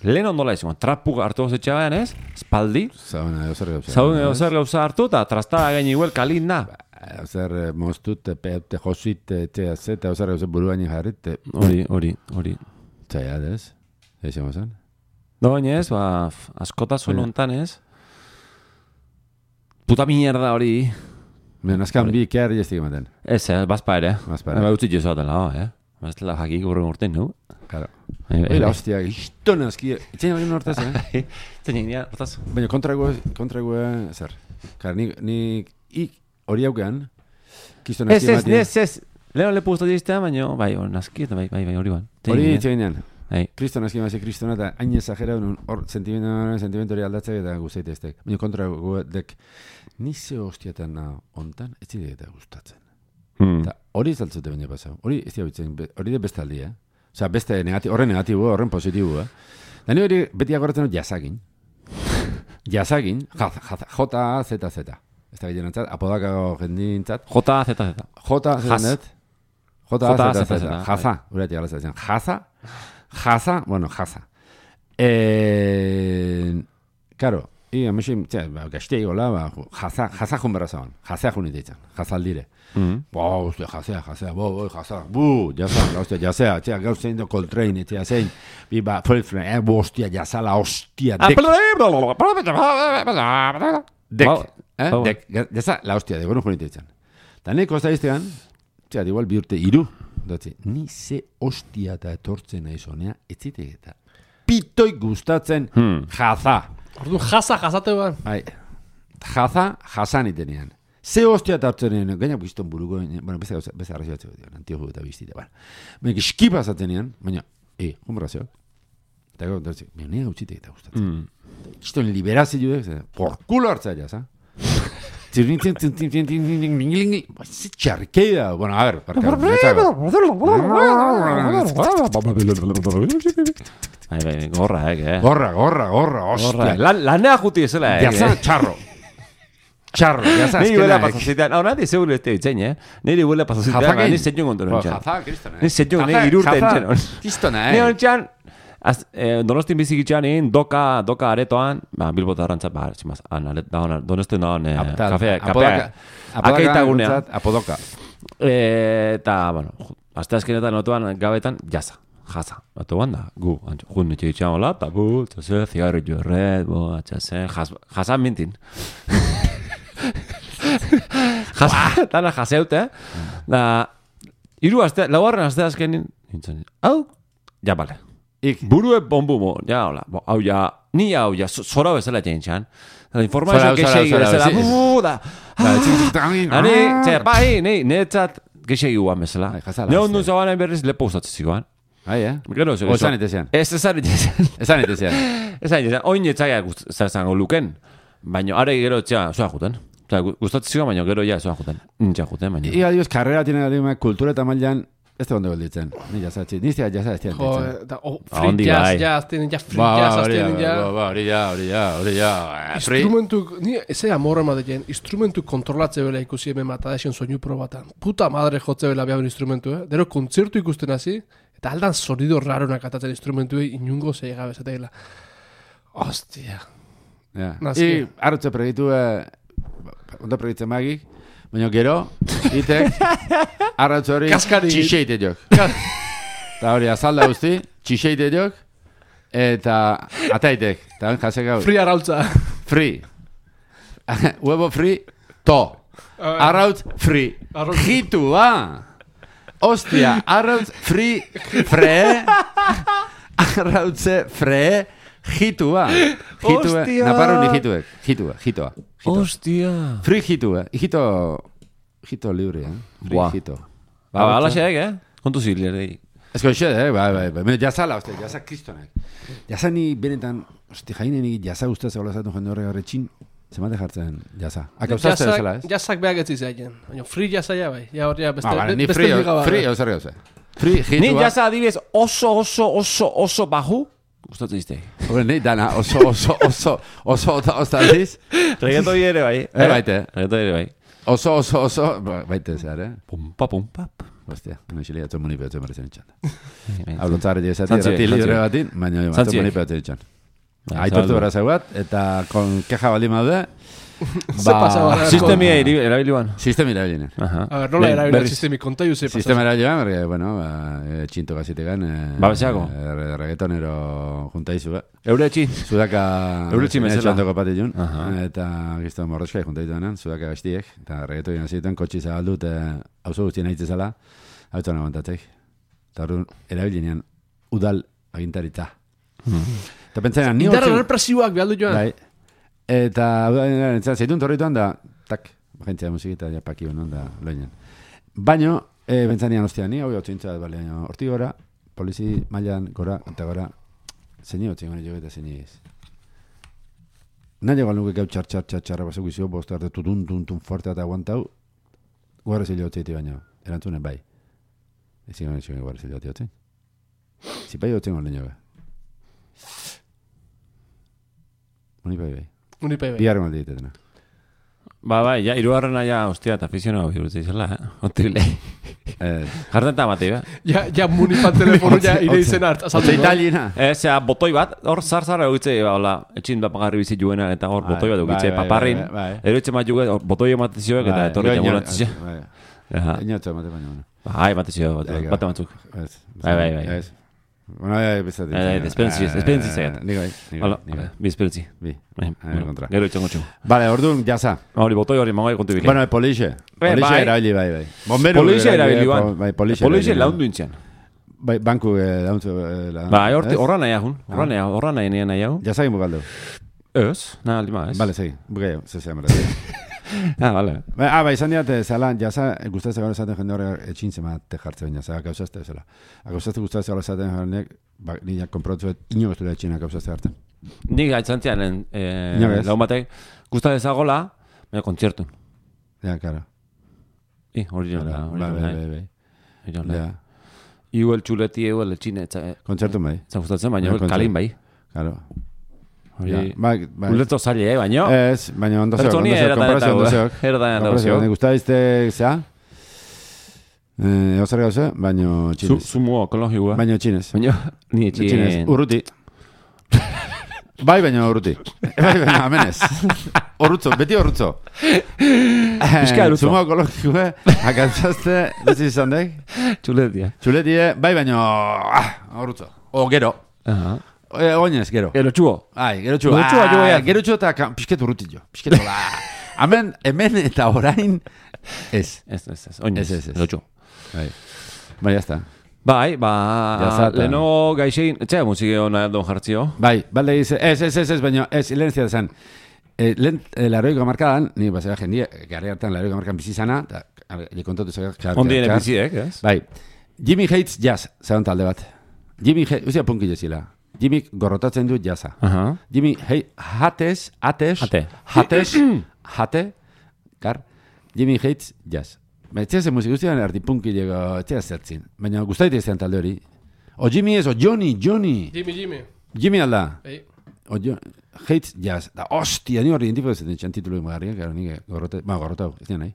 Lehen ondola izan, trapu hartu gozetxean ez, espaldi. Zauna, edo zer gauza. Zaun edo zer gauza hartu, eta trastara gain iguel kalin da. Edo zer moztut, peute, josit, txea zeta, edo zer gauza buruaini jarrit. Hori, hori, hori. Txaiat ez? Eixen gozan? Doin ez, ba, askotasun hontan ez. Puta mierda hori. Men, azkan bi kerri ez ematen. Ez, eh, bazpa ere. Bazpa ere. Ba, utzi jesuatela, eh. Baztela jakik urren urten, nu? Claro. Bai, bai, Oira, bai. hostia, gizton azki. Itzen egin hortaz, eh? Zein egin, hortaz? Baina kontrago, kontrago, zer. Kar, ni, ni, ik, hori haukean, kiston Ez, azki ez, ematen. ez, ez. Lehen lepu guztat jiztea, baina, bai, hor, naski, eta bai, bai, bai, hori ban. Hori itzen egin. Bai. Kriston azki ematen, kriston eta hain exagera, hor sentimentu, sentimentu hori aldatzea eta guzeit ez dek. Baina kontrago, dek, ni ze hostiatan na ontan, ez zidek eta gustatzen. Hmm. Eta hori izaltzute baina pasau. Hori ez diabitzen, hori de beste aldi, eh? Osa, beste negatibo, horren negatibo, horren positibo, eh? Da ni hori beti agoratzen dut jasakin. Jasakin, J, Z, Z. Ez da ginen entzat, apodakago jendintzat. J, Z, Z. J, Jas. Z, J, Z, Z. Jaza, urati galatzen. Jaza, jaza, bueno, jaza. Eh, Karo, i, amexin, gaztei gola, jaza, jaza jun berra zaban. Jazea jun ititzen, jazaldire. Mm. Bo, uste, jazea, jazea, bo, bo, jazea, bu, jazea, uste, jazea, txea, gauzein do Coltrane, txea, zein, biba, fulfren, eh, bo, hostia, jazala, hostia, dek, dek, eh, dek, jaza, la hostia, de, gonu junitzen. Ta neko ez da iztegan, txea, igual bi urte, iru, datzi, ni ze hostia eta etortzen nahi zonea, etzitek eta pitoi gustatzen Hmm. jaza. Orduan, jaza, jazate ban. Bai, jaza, jazan itenean. Ze hostia eta hartzen nien, gainak bizton buruko, bueno, beste gauza, beste arrazio batzeko dian, antioju eta biztite, bueno. Baina, eskipa zaten nien, baina, e, humorrazioak. Eta gau, dutzik, baina nire gautxitek eta gustatzen. Mm. Kiston liberazio juek, por culo hartza jaz, ha? Zirrintzen, zintzen, zintzen, zintzen, zintzen, ze txarkeida, bueno, a ver, parka, Bai, bai, gorra, eh, gorra, gorra, gorra, hostia. Lan, lanea juti ezela, eh. Jaza, txarro. Txarro, jaza, Ni huele azkenak. pasazitean, hau nadi zeu este ditzen, eh? Niri huele pasazitean, Jazakin. ni zetxun kontu Bo, nintxan. jaza, kristona, eh? Ni zetxun, ni Jaza, irurte jaza, nintxan. Kristona, Ni eh? nintxan, eh, donostin bizikitxan egin, doka, doka aretoan, ba, bilbota arrantzat, ba, tximaz, da hona, donostin da hona, Aptal, kafe, apodaka- kapea, apodaka akaitagunea. guntzat, Apodoka. Eh, Eta, bueno, azte azkenetan notuan gabetan, jaza. Jaza, batu da, gu, jun etxe itxan hola, eta bu, txase, zigarri jorret, bo, txase, jaza mintin. Jaza, tana jazeute, eh? Da, iru azte, laugarren azte azkenin, nintzen, hau, ja, bale. Ik. Burue bombu mo, ja, hola, bo, hau ja, ni hau ja, zora bezala txaintxan. Da, informazio Zora, zora, kexegi zora, bezala, sí. bu, da, Ani, txer, bai, ni, netzat, kexegi guan bezala. Bai, jazala, Ne ondu hostia. zabanen berriz lepo usatzen zikoan. Bai, eh? Gero, O esan etezean. Ez, esan etezean. Esan etezean. Esan etezean, oin etzaia zango luken, baina are gero etxea zoa juten. Osa, gustatzen zikoan, baina gero ja zoa juten. Nintxa juten, baina. Iga dios, karrera tiene garima, kultura eta mailan, ez da ondo gelditzen. Ni jazatzi, niztea jaza ez Jo, ditzen. da, oh, Ah, free ondi jazz, bai. jazz, tienen ja free Ba, jazz, hori tienen ja, ja. ba, ba, hori ja, hori ja, hori ja. eh, free. Instrumentu, ni eze amorra ematen, instrumentu kontrolatze bela ikusi hemen mata da esen soinu probatan. Puta madre jotze bela behar instrumentu, eh? Dero kontzertu ikusten hasi, eta aldan sonido raronak atatzen instrumentu, inungo zei gabe zateela. Hostia. Ja. Nazki. I, hartze pregitu, eh, onta proiektzen magik, baina gero, itek, arrautz hori, txixeite jok. Eta hori, azalda guzti, txixeite jok, eta ataitek, eta ben jasek hau. Free arrautza. Free. Huevo free, to. Arrautz free. Jitu, ba. Ostia, arrautz free, fre. Arrautze fre, jitu, ba. Ostia. Naparro ni jituek. Jitua, jitua. Ostia. Free jitu, eh. Jito, jito libre, eh. Free jito. Ba, ala xeek, eh. Kontu zilere. Ez koixe, eh, bai, bai, bai. Jazala, oste, jaza kristonek. Jaza ni benetan, oste, jaine ni jaza guztaz egola zatu jende horre garretxin, zemate jartzen jaza. Akauzazte bezala, ez? Jazak behak ez izaien. Baina free jaza ja, bai. Ja hori, beste, ah, vale, beste free, liga free, ozer gauze. Free, jitua. Ni jaza adibidez oso, oso, oso, oso baju, gustatzen izte. Hore, ni dana, oso, oso, oso, oso, oso, oso, aldiz. Regetoi ere bai. Eh, baite. Regetoi ere bai. Oso, oso, oso, baite zehar, eh? Pumpa, pumpa. Hostia, no xile jatzen muni pehatzen merezen itxan. Hau lontzare jezati, erati libre batin, baina jatzen muni pehatzen itxan. Aitortu gara zauat, eta kon keja bali maude, sistemi erabiliuan. Sistemi erabiliuan. A ver, nola erabiliuan sistemi, konta juze pasaz. Sistemi erabiliuan, porque, bueno, txinto gazitegan. Babeseako. Reggaetonero juntaizu, eh? Eure etxin. Sudaka... Eure etxin bezala. Txantoko patillun. Eta gizto morroskai juntaitu denan, sudaka gaztiek. Eta reggaetoian zituen, kotxi zabaldut, hauzo guztien aitzezala, hau txan aguantatzek. Eta hori erabilinean, udal agintaritza. Eta pentsanean, ni Indarra represiuak behaldu joan. Bai. Eta, zeitun torrituan da, tak, agentzia musikita, ja paki honan da, loinen. Baina, e, pentsanean, ostia, ni hau hau txintza, bale, horti gora, polizi mailan gora, eta gora, zeini hau txingon jo eta zeini ez. Nahi egon nuke gau txar, txar, txar, txar, basuk izio, bostu arte, tutun, tutun, forte eta aguantau, guarra zilio txeiti baina, erantzunen bai. Ezin gana txingon guarra zilio txeiti. Zipai hau txingon leño, bai. Unipai bai. Unipai bai. Biarren alde ditetena. Ba, bai, ja, irugarrena ja, hostia, eta afizionau birutzea izela, eh? Otibile. Jarten eta mati, eh? Ja, ja, munipan telefonu ja ire izen hart. Otze italina. Ez, ja, botoi bat, hor zar-zar egitze, hola, etxin da pagarri bizit juena, eta hor botoi bat egitze, paparrin. Ero etxe mat juge, botoi ematezioek, eta etorri jamunatzea. Inotu emate baina. Bai, ematezio, bat ematzuk. Bai, bai, bai. Bueno, ya empezate. Eh, esperientzi, esperientzi zaiat. Ni bai, ni bai. Bi esperientzi. Bi. Kontra. Gero itxango txu. Vale, orduan, jaza. Hori, botoi hori, mangai kontu bile. Bueno, polixe. Polixe erabili, bai, bai. Bomberu. Polixe erabili, bai. Polixe laundu intzian. Bai, banku laundu. Bai, horra nahi ahun. Horra nahi ahun. Horra nahi nahi ahun. Jaza egin bukaldu. Ez, nahi aldi ma, ez. Vale, segi. Bukei, zezea mera. Ah, vale. Ah, bai, izan diat, zela, jaza, gustatzen gaur esaten jende horre etxin zemate jartzen, jaza, gauzazte, zela. Gauzazte gustatzen gaur esaten jendeak, nire konprontzuet, ino guztu da etxina gauzazte hartzen. Nik aitzantzian, laun batek, gustatzen zagola, baina kontzertun. Ja, karo. I, hori joan da, hori joan da. Bai, bai, bai. Hori joan da. Iu el txuleti, iu el etxine. Kontzertun bai. Zan gustatzen, baina kalin bai. Karo. Ulertu zaila, eh, baino? Ez, baina ondo zeok, ondo zeok, konparazio ondo zeok. Erda da zeok. Ne gusta izte, zea? Eh, ozer gauze, baino txinez. Sumo ekologikoa. Baino txinez. Baino, ni txinez. Urruti. Bai, baino urruti. Bai, baino, amenez. Orrutzo, beti orrutzo. Bizka erutzo. Sumo ekologikoa, akantzazte, dutzi izan dek? Txuletia. Txuletie, bai, baino, orrutzo. O gero. Aha. Oinez, gero. Gero txuo. Ai, gero txuo. Gero txuo, jo ea. Gero txuo eta pisket urruti jo. Pisket hola. Hemen, hemen eta orain, ez. Ez, ez, ez. Oinez, ez, ez. gero txuo. Bai, bai, jazta. Bai, ba, leno gaixein, etxea musiki hona don jartzio. Bai, balde dize, ez, ez, ez, ez, baina, ez, lehen zia zen. Lehen, laroiko markadan, ni basera jendia, garri hartan laroiko markadan bizizana, eta, le kontatu zaka. Ondien biziek, ez? Bai, Jimmy Hates Jazz, zelan talde bat. Jimmy Hates, uzia punki jezila. Jimmy gorrotatzen du jaza. Uh-huh. Jimmy, hei, hates, hates, Hate. hates, hate, kar, Jimmy Hates jazz. Ba, etxea zen musik guztian erdi punki llega, etxea zertzin. Baina guztaite izan talde hori. O Jimmy ez, o Johnny, Johnny. Jimmy, Jimmy. Jimmy alda. Ei. O Hates jazz. Da, ostia, ni hori identifiko zeten txan titulu emarriak, gara nire gorrote, ba, gorrotau, ez dira nahi.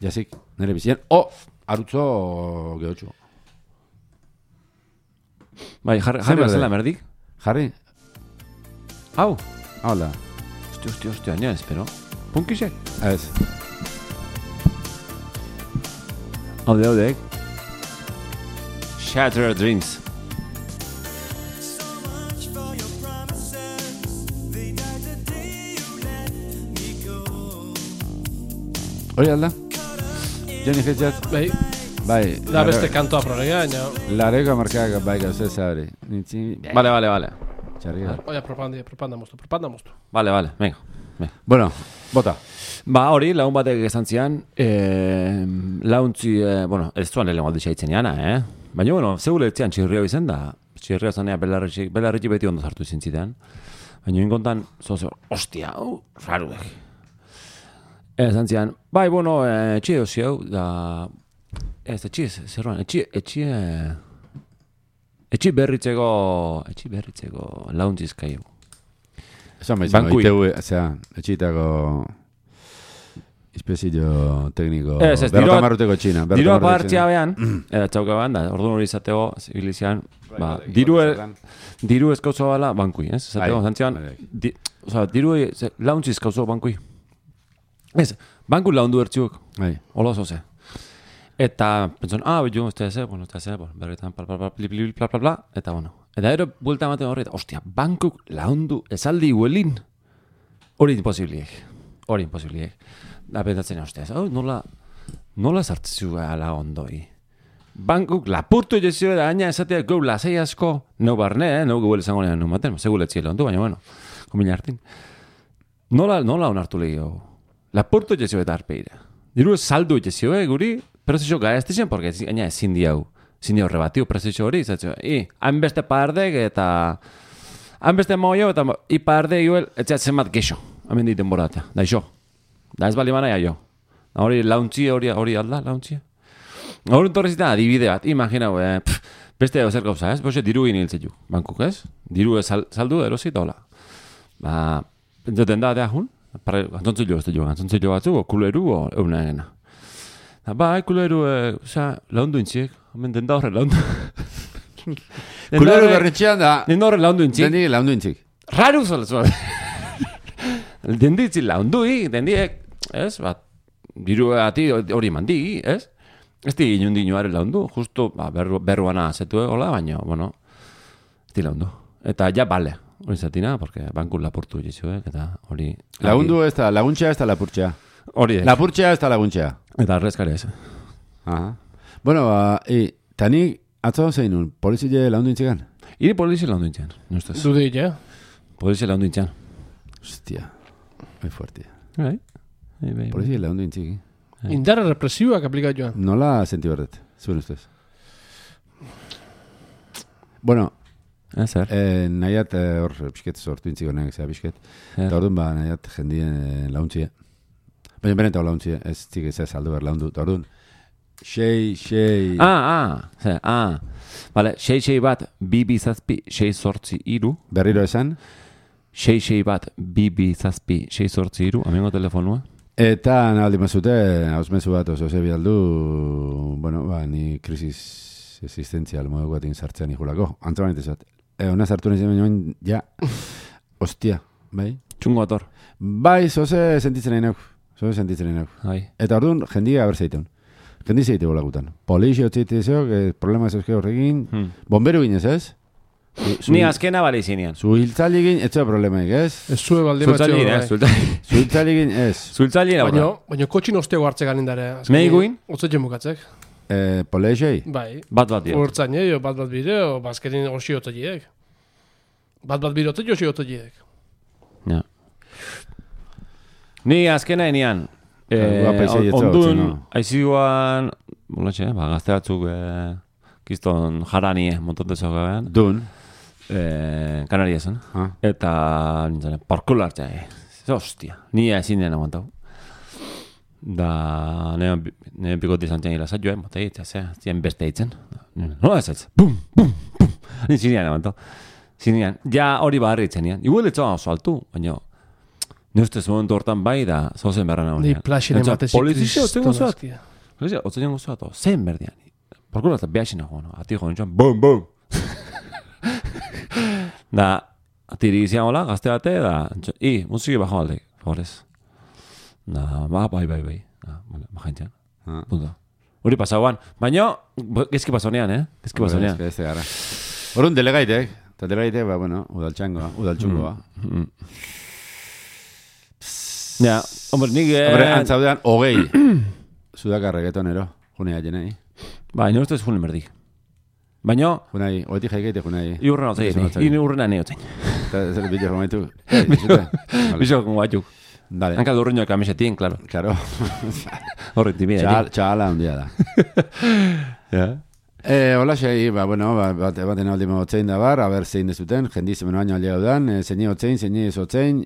Jazik, nire bizien. O, arutzo gehotxu. Bai, jarri bazela merdik? Jarri? Hau? Hau da. Hostia, hostia, hostia, nire espero. Punkisek? Ez. Haude, haudek. Shattered Dreams. Hori alda? Joni fetxat? Bai, Bai. da beste kantoa prolega, baina... Lareko markak bai gauzez zabri. Nintzi... Vale, vale, vale. Txarriga. Oia, propaganda, propaganda moztu, propaganda moztu. Vale, vale, venga. venga. Bueno, bota. Ba, hori, lagun batek esan zian, eh, launtzi, eh, bueno, ez zuan lehen alditza itzen jana, eh? Baina, bueno, zeure etzean txirrio izen da, txirrio zanea belarritxik, belarritxik beti ondo sartu izin zidean. Baina, inkontan, zozo, ostia, hau, raruek. Esan zian, bai, bueno, etxi edo ziau, da, ez, etxi, zerroan, etxi, etxi, etxi berritzeko, etxi berritzeko launtzizkaiu. Esan baitzen, oiteu, zera, etxitako... Espezio tekniko, berrota marruteko txina. Dirua partia behan, eta txauka behan, da, orduan hori izateko, zibilizian, ba, diru, diru eskauzo bala bankui, ez? Zateko, zantzian, di, oza, diru launtzi eskauzo bankui. Ez, banku laundu ertziuk, hola zoze. Eta, pentson, ah, bitu, ez da eze, bueno, ez da eze, berretan, pal, pal, pal, pli, pli, pla, pla, pla, eta, bueno. Eta ero, buelta ematen horret, ostia, bankuk laundu esaldi huelin, hori imposibliek, hori imposibliek. Da betatzen haustea, oh, nola, nola sartzu ala ondoi. Bankuk lapurtu jezio da aina esatea gau lasai asko, neu barne, eh? Neu guel izango nean numaten, seguletzi ondu, baina bueno, komina hartin. Nola, nola onartu lehio. Lapurtu jezio eta arpeira. Diru saldu jezio, eh, guri, prozesio gaeztizien, porque aina ezin diau, ezin diau rebatiu prozesio hori, izatzio, i, hainbeste pardek eta, hainbeste moio eta i pardek iguel, etxea zenbat geixo, hamen diten borata, da iso. Da ez bali manaia jo. Hori launtzi hori hori alda, launtzi. Hori torrezita adibide bat, imaginau, eh, pff, beste zer gauza, ez? Boxe diru iniltze ju, bankuk, ez? Diru sal, saldu erosi eta hola. Ba, pentsaten da, dea jun, gantzontzu jo, ez jo, gantzontzu jo batzu, o kuleru, o euna egena. Ba, kuleru, eh, oza, laundu intziek, hemen den da horre laundu. Kuleru berretxean da... Den da horre laundu intziek. Den di laundu intziek. Raru zola, zola. Den ditzi laundui, den diek, ez, bat, diru ati hori mandi, ez? Ez di inundi inoare laundu, justu, ba, berru, berruana zetu hola, baina, bueno, ez di laundu. Eta ja bale, hori zatina, porque banku lapurtu jizuek, eta hori... Lagundu ez da, laguntxea ez da lapurtxea. Hori ez. Lapurtxea ez da laguntxea. Eta arrezkare ez. Aha. Bueno, ba, e, tani atzo zein nun, polizile laundu intzigan? Iri polizile laundu intzigan, nustez. Dudi, ja? Polizile laundu intzigan. Hostia, muy fuerte. Bai. Polizia laundu intziki. Indarra represiuak aplikat joan. Nola senti berdet, zuen ustez? Bueno, zer? Eh, nahiat hor eh, pixket sortu intziko nahiak zera pixket. Eta orduan ba nahiat jendien eh, launtzie. Baina benetau launtzie, ez txik ez ez aldo behar laundu. Eta orduan, xei, xei... Ah, ah, zer, ah. Vale, xei, xei bat, bi, bi, zazpi, xei, sortzi, iru. Berriro esan? Xei, xei bat, bi, bi, zazpi, xei, sortzi, iru, amengo telefonua. Eta nahaldi mazute, hausmezu bat oso zebi aldu, bueno, ba, ni krisis existentzial modu batin sartzean ikulako. Antzaban itezat. E, ona sartu nahi zemen ja, ostia, bai? Txungo ator. Bai, zoze sentitzen nahi nauk. Zoze sentitzen nahi nauk. Bai. Eta orduan, jendia haber zeiten. Jendi zeite bolakutan. Polizio txite zeok, problema ez euske horrekin. Hmm. Bomberu ginez, ez? Zu, ni azkena bale izinean. Zu hiltzali gin, etxea problemaik, ez? Ez zue baldi batxeo. Zultzali gin, ez? Zu hiltzali gin, ez? Zultzali gin, baina, baina kotxin ostego hartze ganindare. Nei guin? Otze jemukatzek. Eh, polizei? Bai. Bat bat dio. Urtzain, jo, bat bat bide, o bazkerin osi otze jiek. Bat bat bide otze josi otze jiek. Ja. Ni azkena enian. Eh, ondun, aiziguan, bolatxe, ba, gazte batzuk, eh, kiston jaranie, montotezo gabean. Dun. Eh, Kanariasen. Ah. Eta, nintzen, parkola hartzea, eh. Hostia, ni ezin dena aguantau. Da, nean, nean pikoti zantzen hila zaitu, eh, motei, eta zea, zien beste eitzen. Nola ez ez? Bum, bum, bum. Ni zinean aguantau. Zinean, ja hori barri itzen nian. Igual etzoa oso altu, baina... Ne ustez momentu hortan bai da, zozen berra nagoen. Ni plaxen ematezik. Polizizio, otzen gozoat. Polizizio, otzen gozoat. Zen berdian. Parkola eta behaxin nagoen. Ati joan txan, bum, bum. Da, atiri izan hola, gazte bate, da, i, musiki bajo alde, favorez. Na, ba, bai, bai, bai. Ah, bueno, majaintzen. Ah. Punto. Hori pasauan. Baina, gezki pasonean, eh? Gezki pasonean. Ez gara. Horun delegaitek. Eta delegaitek, ba, bueno, udaltxangoa, udaltxungoa. Mm. Mm. Ja, hombre, nik... Hombre, antzaudean, hogei. Sudakarregetonero. Junea jenei. Ba, ino ustez junen berdik. Baina... Junai, oetik jaikeite junai. I urren hau zein, i urren hane hau zein. Eta zer bideo gomaitu. Bizo kon batzuk. Dale. Hanka durreño kamisetin, claro. Claro. Horret timida. Txala handia da. Ja. Eh, hola xei, ba, bueno, bat baten aldi mogotzein da bar, a ber zein dezuten, jendiz hemen baino aldea dudan, zeini hotzein, zeini ez hotzein,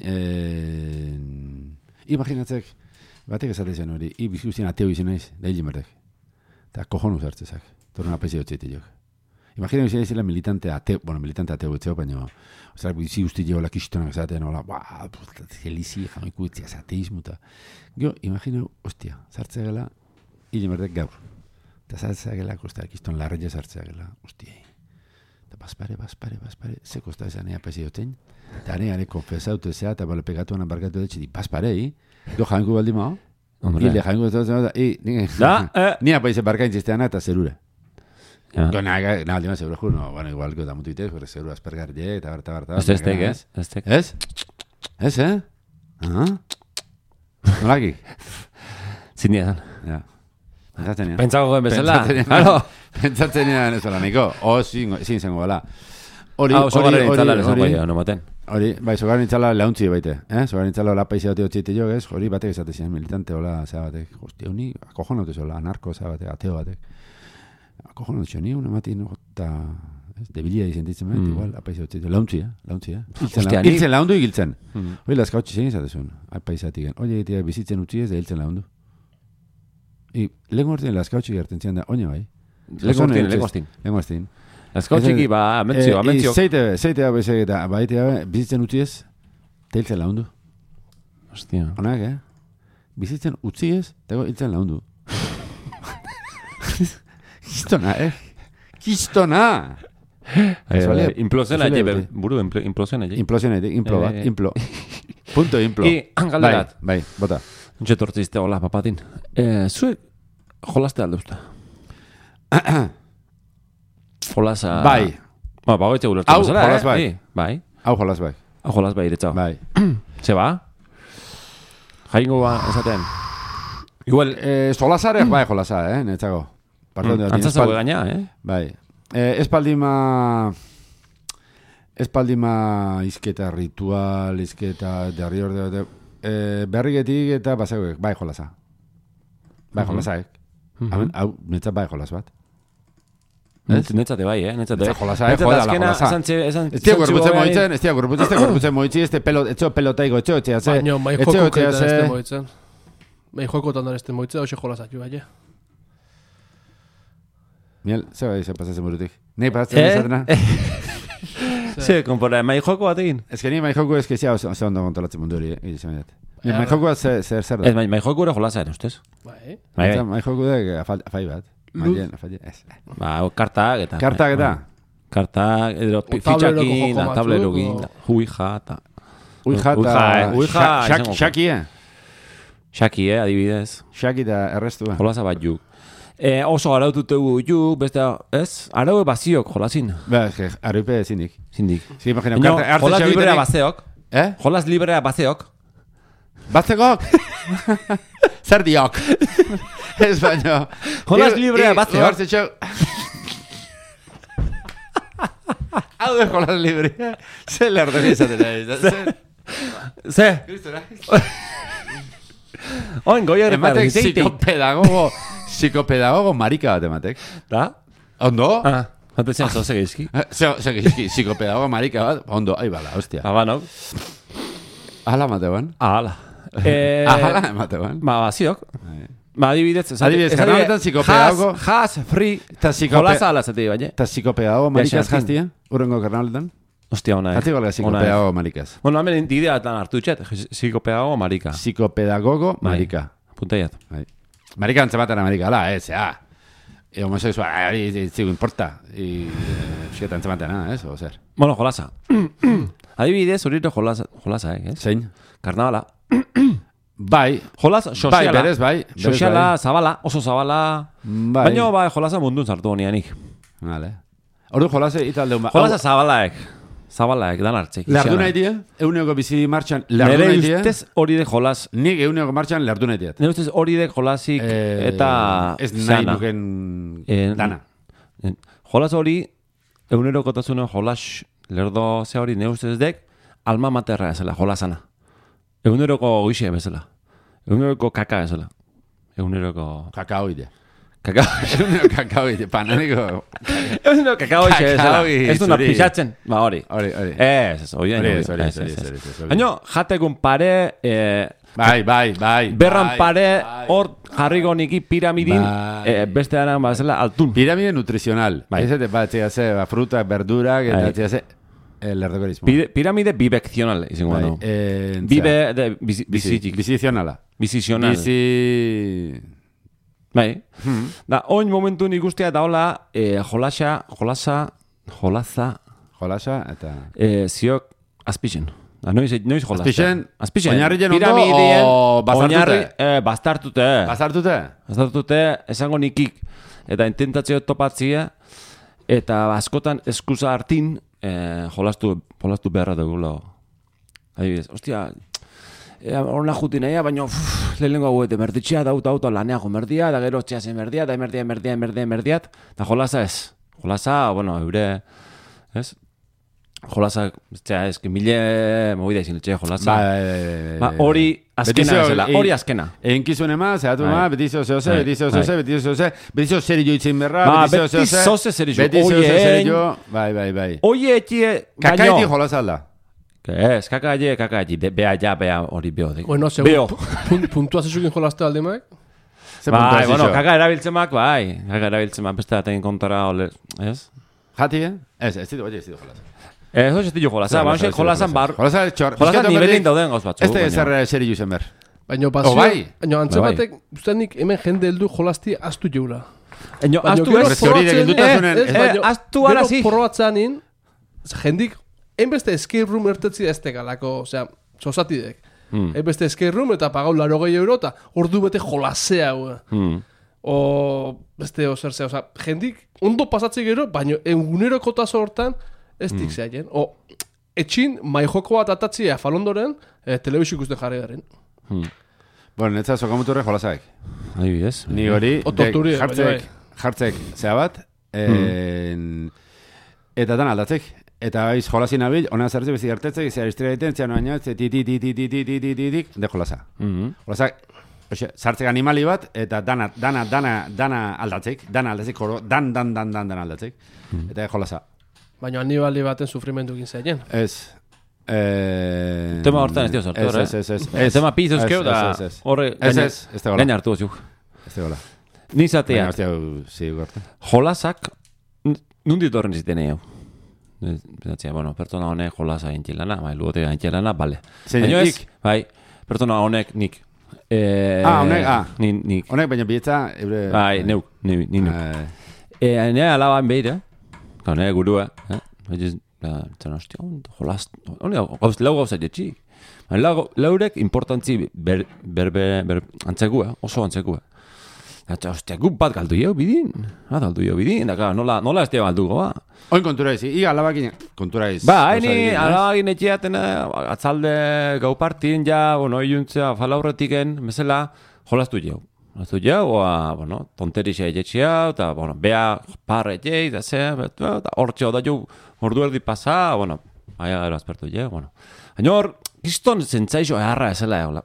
imaginatzek, batek esatezen hori, i bizkuzien ateo izan naiz, da hil merdek. Eta kohonu zartzezak, torren apaizi hotzeite jok. Imagina izan naizela militante ateo, bueno, militante ateo etzeo, baina, ozera, bizi usti jo la kistonak esaten, hola, ba, gelizi, jamiku etziaz, ateismuta. Gio, imagina, ostia, zartzegela, hil merdek gaur. Eta zartzegela, kosta, kiston larreia zartzegela, ostia. Eta baspare, baspare, baspare, ze kosta esan ea apaizi hotzen, eta ane, ane, konfesaute zea, eta bale pegatuan barkatu detxe, di, baspare, hi? Gio, janku baldi mao? Hile, janku baldi mao, ni apaizi barkaintzisteana eta zerura. Gio, nahi, aldi mao, zerura, ju, no, bueno, igual, gio, da mutu itez, gore zerura aspergarrie, eta barta, barta. Ez estek, ez? Estek. Ez? Ez, eh? Aha? Nolaki? Zindia zan. Ja. Pentsatzen ean. Pentsago goen bezala. Pentsatzen ean ez hola, niko. O, zin zengo bala. Hori, hori, hori, hori, hori, hori, bai, zogaren itzala launtzi baite. Eh? Zogaren itzala hola paizia dute otziete jo, ez? Hori batek esatezian, militante hola, zea batek. Hostia, honi, akojon haute zola, anarko, zea batek, ateo batek. Akojon haute ni una mati, no, eta... Debilia izentitzen behar, igual, apaizia otziete. Launtzi, eh? Launtzi, eh? Hiltzen laundu, hiltzen. Hori, lazkautxe zen izatezun, apaizatik. Hori, bizitzen utzi ez, da hiltzen laundu. I, lehen gortien lazkautxik gerten zian da, oine bai. Lehen gortien, lehen gortien. Lehen gortien. Lazkautxiki, ba, amentzio, amentzio. Zeite, zeite hau bezak eta baitea, bizitzen utzi ez, teiltzen laundu. Hostia. Onak, eh? Bizitzen utzi ez, tego hiltzen laundu. Kistona, eh? Kistona! Implosiona ege, buru, implosiona ege. Implosiona ege, implo bat, implo. Punto implo. I, hangalderat. Bai, bota. Untxe tortzizte, hola, papatin. Zuek, jolaste alde usta? Jolasa... Bai. Ba, bagoitze gulertu. Hau, jolas bai. Bai. Hau, jolas bai. Hau, jolas bai, iretzau. Bai. Ze ba? Jaingo ba, esaten. Igual, jolasareak bai, jolasa, eh, netzago. Antzazago gaina, eh? Bai. Espaldima... Espaldima izketa ritual, izketa derri orde... Berrigetik eta basagoek, bai jolasa. Bai jolasaek. Hau, netzat bai jolas bat. Netzate bai, eh? Netzate jolasa, eh? Joda la jolasa. Ez tia gorputzen moitzen, ez tia gorputzen, ez tia gorputzen moitzi, ez tia pelotaiko, etxeo etxea, ze... Baina, mai joko ketan ez te moitzen. Mai joko ketan ez te moitzen, hoxe jolasatu, bai, Miel, ze bai, ze pasatzen burutik. Nei pasatzen ezatena? Ze, konpora, mai joko bat egin? Ez que ni mai joko ez que zea oso ondo kontrolatzen mundu hori, eh? Mai joko bat zer zer da? Ez, mai joko era jolasa, ere, ustez? Bai. Mai joko da afai bat. Maien, afai, ez. Ba, kartak eta... Kartak eta? Kartak, edo fitxakin, tablerokin, uija, eta... Uija, eta... Uija, xaki, eh? Xaki, eh, adibidez. Xaki da errestu, eh? Jolasa bat juk. Eh, oso araututegu juk, beste, ez? Araue baziok jolasin. Ba, ez que, araupe zindik. Zindik. Sí, imagina, no, jolas librea bazeok. Eh? Jolas librea bazeok. Bazekok? Zer diok? Ez baino. Jolas librea bazeok. Hau de jolas librea. Zer lerden izaten ari. Ze? Oin, goia ematek psikopedagogo, psikopedagogo marika bat ematek. Da? Ondo? Ah, batezian zo segizki. Segizki, psikopedagogo marika bat, ondo, ahi bala, hostia. Aba, no? Ahala emateban? Ahala. Ahala emateban? Ma, baziok. Ma, adibidez. Adibidez, kanaletan psikopedagogo... Has, free, jolasa ala zati, baina. Ta psikopedagogo marikaz jaztia, urrengo kanaletan? Hostia, ona, eh? Jatzi golga psikopedagogo marikaz. Bueno, hemen idea tan hartu txet, psikopedagogo marika. Psikopedagogo marika. Puntaiat. Marika antzematen marika, ala, ez, ja. E homosexual, hori zigu importa. Psiketa antzematen, ez, o zer. Bueno, jolasa. Adibidez, horito jolasa, eh, ez? Zein? Karnavala. Bai. Jolas soziala. Bai, berez, bai. Soziala, zabala, oso zabala. Bai. Baina, bai, jolasa mundun sartu honianik. Vale. Ordu jolase italdeun ba. Jolasa zabalaek. Zabalaek, dan hartzik. Lerdu nahi die? Euneko bizi martxan lerdu nahi die? Nere ustez hori de jolas. Nik euneko martxan lerdu nahi diet. Nere ustez hori de jolasik eta... Ez nahi nuken dana. Jolas hori, eunero kotasunen jolas lerdo ze hori, nere ustez dek, alma materra ezela, jolasana. Eguneroko goixe bezala. Eguneroko kaka bezala. Eguneroko... Kakao ide. Kakao. Eguneroko kakao ide. Pananeko... Eguneroko kakao ide bezala. Ez duna pixatzen. Ba, hori. Hori, hori. Ez, ez, hori. Hori, hori, hori. Haino, jatekun pare... Bai, bai, bai. Berran pare, hor jarriko niki piramidin, beste dara bazela altun. Piramide nutrizional. Ez ez bat, txea ba, frutak, verdurak, eta txea ze... El erdeberismo. Piramide biveccional, izango bai, no. Eh, Vive de bizitik. Bizizionala. Bizizional. Bizi... Bai. Hmm. Da, oin momentu nik ustea da hola, eh, jolasa, jolasa, jolaza... Jolasa, eta... Eh, ziok azpixen. Da, noiz, noiz jolasa. Azpixen? Azpixen. Oinarrien ondo, o bastartute? Eh, bastartute. Bastartute? Bastartute, esango nikik. Eta intentatzeo topatzia, eta askotan eskusa hartin, Eh, jolastu, jolastu beharra dugula. Adibidez, ostia, horna juti naia, baina lehenengo hauete, merditxea dauta auto laneago merdia, da gero txea zen merdia, da merdia, merdia, merdia, merdia, da jolasa ez. Jolasa, bueno, eure, ez? Jolasa, txea, ez, que mille, movida izin etxe, jolasa. Ba, hori azkena ezela, hori azkena. Enkizuen ema, zehatu ma, betizio zehoze, betizio zehoze, betizio zehoze, betizio zeri joitzen berra, betizio zehoze. Betizio zeri jo, betizio zeri jo, bai, bai, bai. Oie etxie, gaino. Kakaiti jolasa alda. Ez, kakaiti, kakaiti, bea ja, bea hori beo. Bueno, segun, puntua zezukin jolaste alde maik? Bai, bueno, kaka erabiltzen mak, bai. Kaka erabiltzen mak, beste daten kontara, ez? Jati, eh? Ez, ez ditu, oie, ez ditu jolasa. Ez hori estillo jolasa, baina xe jolasan bar... Jolasa txor... Jolasan nivelin dauden gauz batzu. Ez da ezer seri juzen ber. Baina pasio... Baina antzebatek, ustenik hemen jende heldu jolasti astu jeula. Baina astu ez... Astu ara zi. Gero probatzeanin, jendik, enbeste escape room ertetzi ez tegalako, osea, sosatidek. Enbeste escape room eta pagau laro gehi euro eta ordu bete jolasea, o beste oserzea, osea, jendik ondo pasatze gero, baina egunero kotazo hortan, ez dik zehaien. O, etxin, maijoko bat atatzia falondoren, eh, telebizio ikusten jarri garen. Hmm. Bueno, netza sokamuturre jolasaek. Adibidez. Ni hori, de, jartzek, jartzek zea bat, en, hmm. eta dan aldatzek. Eta baiz jolasin abil, ona zertze bezi hartetzek, zea istria egiten, zea noaina, ze ti ti ti ti ti ti ti ti ti ti de jolasa. Jolasak, zartzek animali bat, eta dana, dana, dana, dana aldatzek, dana aldatzek, dan, dan, dan, dan, dan aldatzek. Eta jolasa. Baina anibali baten sufrimendu egin zaien. Ez. Eh... Tema hortan ez dio sortu, eh? Ez, ez, ez. Tema pizuz keu da... Horre... Ez, ez, ez da gola. Gaina hartu ozuk. Ez da gola. Nizatea. Baina, hostia, zi, gorte. Jolasak, nundit horren ziten egin. Zatzia, bueno, pertsona honek jolasa gintxilana, bai, lugotea gintxilana, bale. Baina ez, bai, pertsona honek nik. Ah, honek, ah. Nik. Honek, baina bietza... Bai, neuk, ni neuk. Nea alaban behira, nire gurua, eh? Zena, hostia, jolaz... Lau gauza jetxik. Laurek importantzi antzekua, oso antzekua. Eta, hostia, gu bat galdu jau bidin. Bat galdu jau bidin, da, nola ez tia galdu goa. Oin kontura izi, i alabakin kontura izi. Ba, haini, alabakin etxeaten, atzalde gau partin, ja, bueno, iluntzea, falaurretiken, mesela, jolaztu jau. Jolaztu jau, oa, bueno, tonterixa etxea, eta, bueno, bea parre etxea, eta ze, eta hortxeo da jau, ordu erdi pasa, bueno, aia gero azpertu jau, bueno. Haino hor, kiston zentzaixo eharra esela, hola.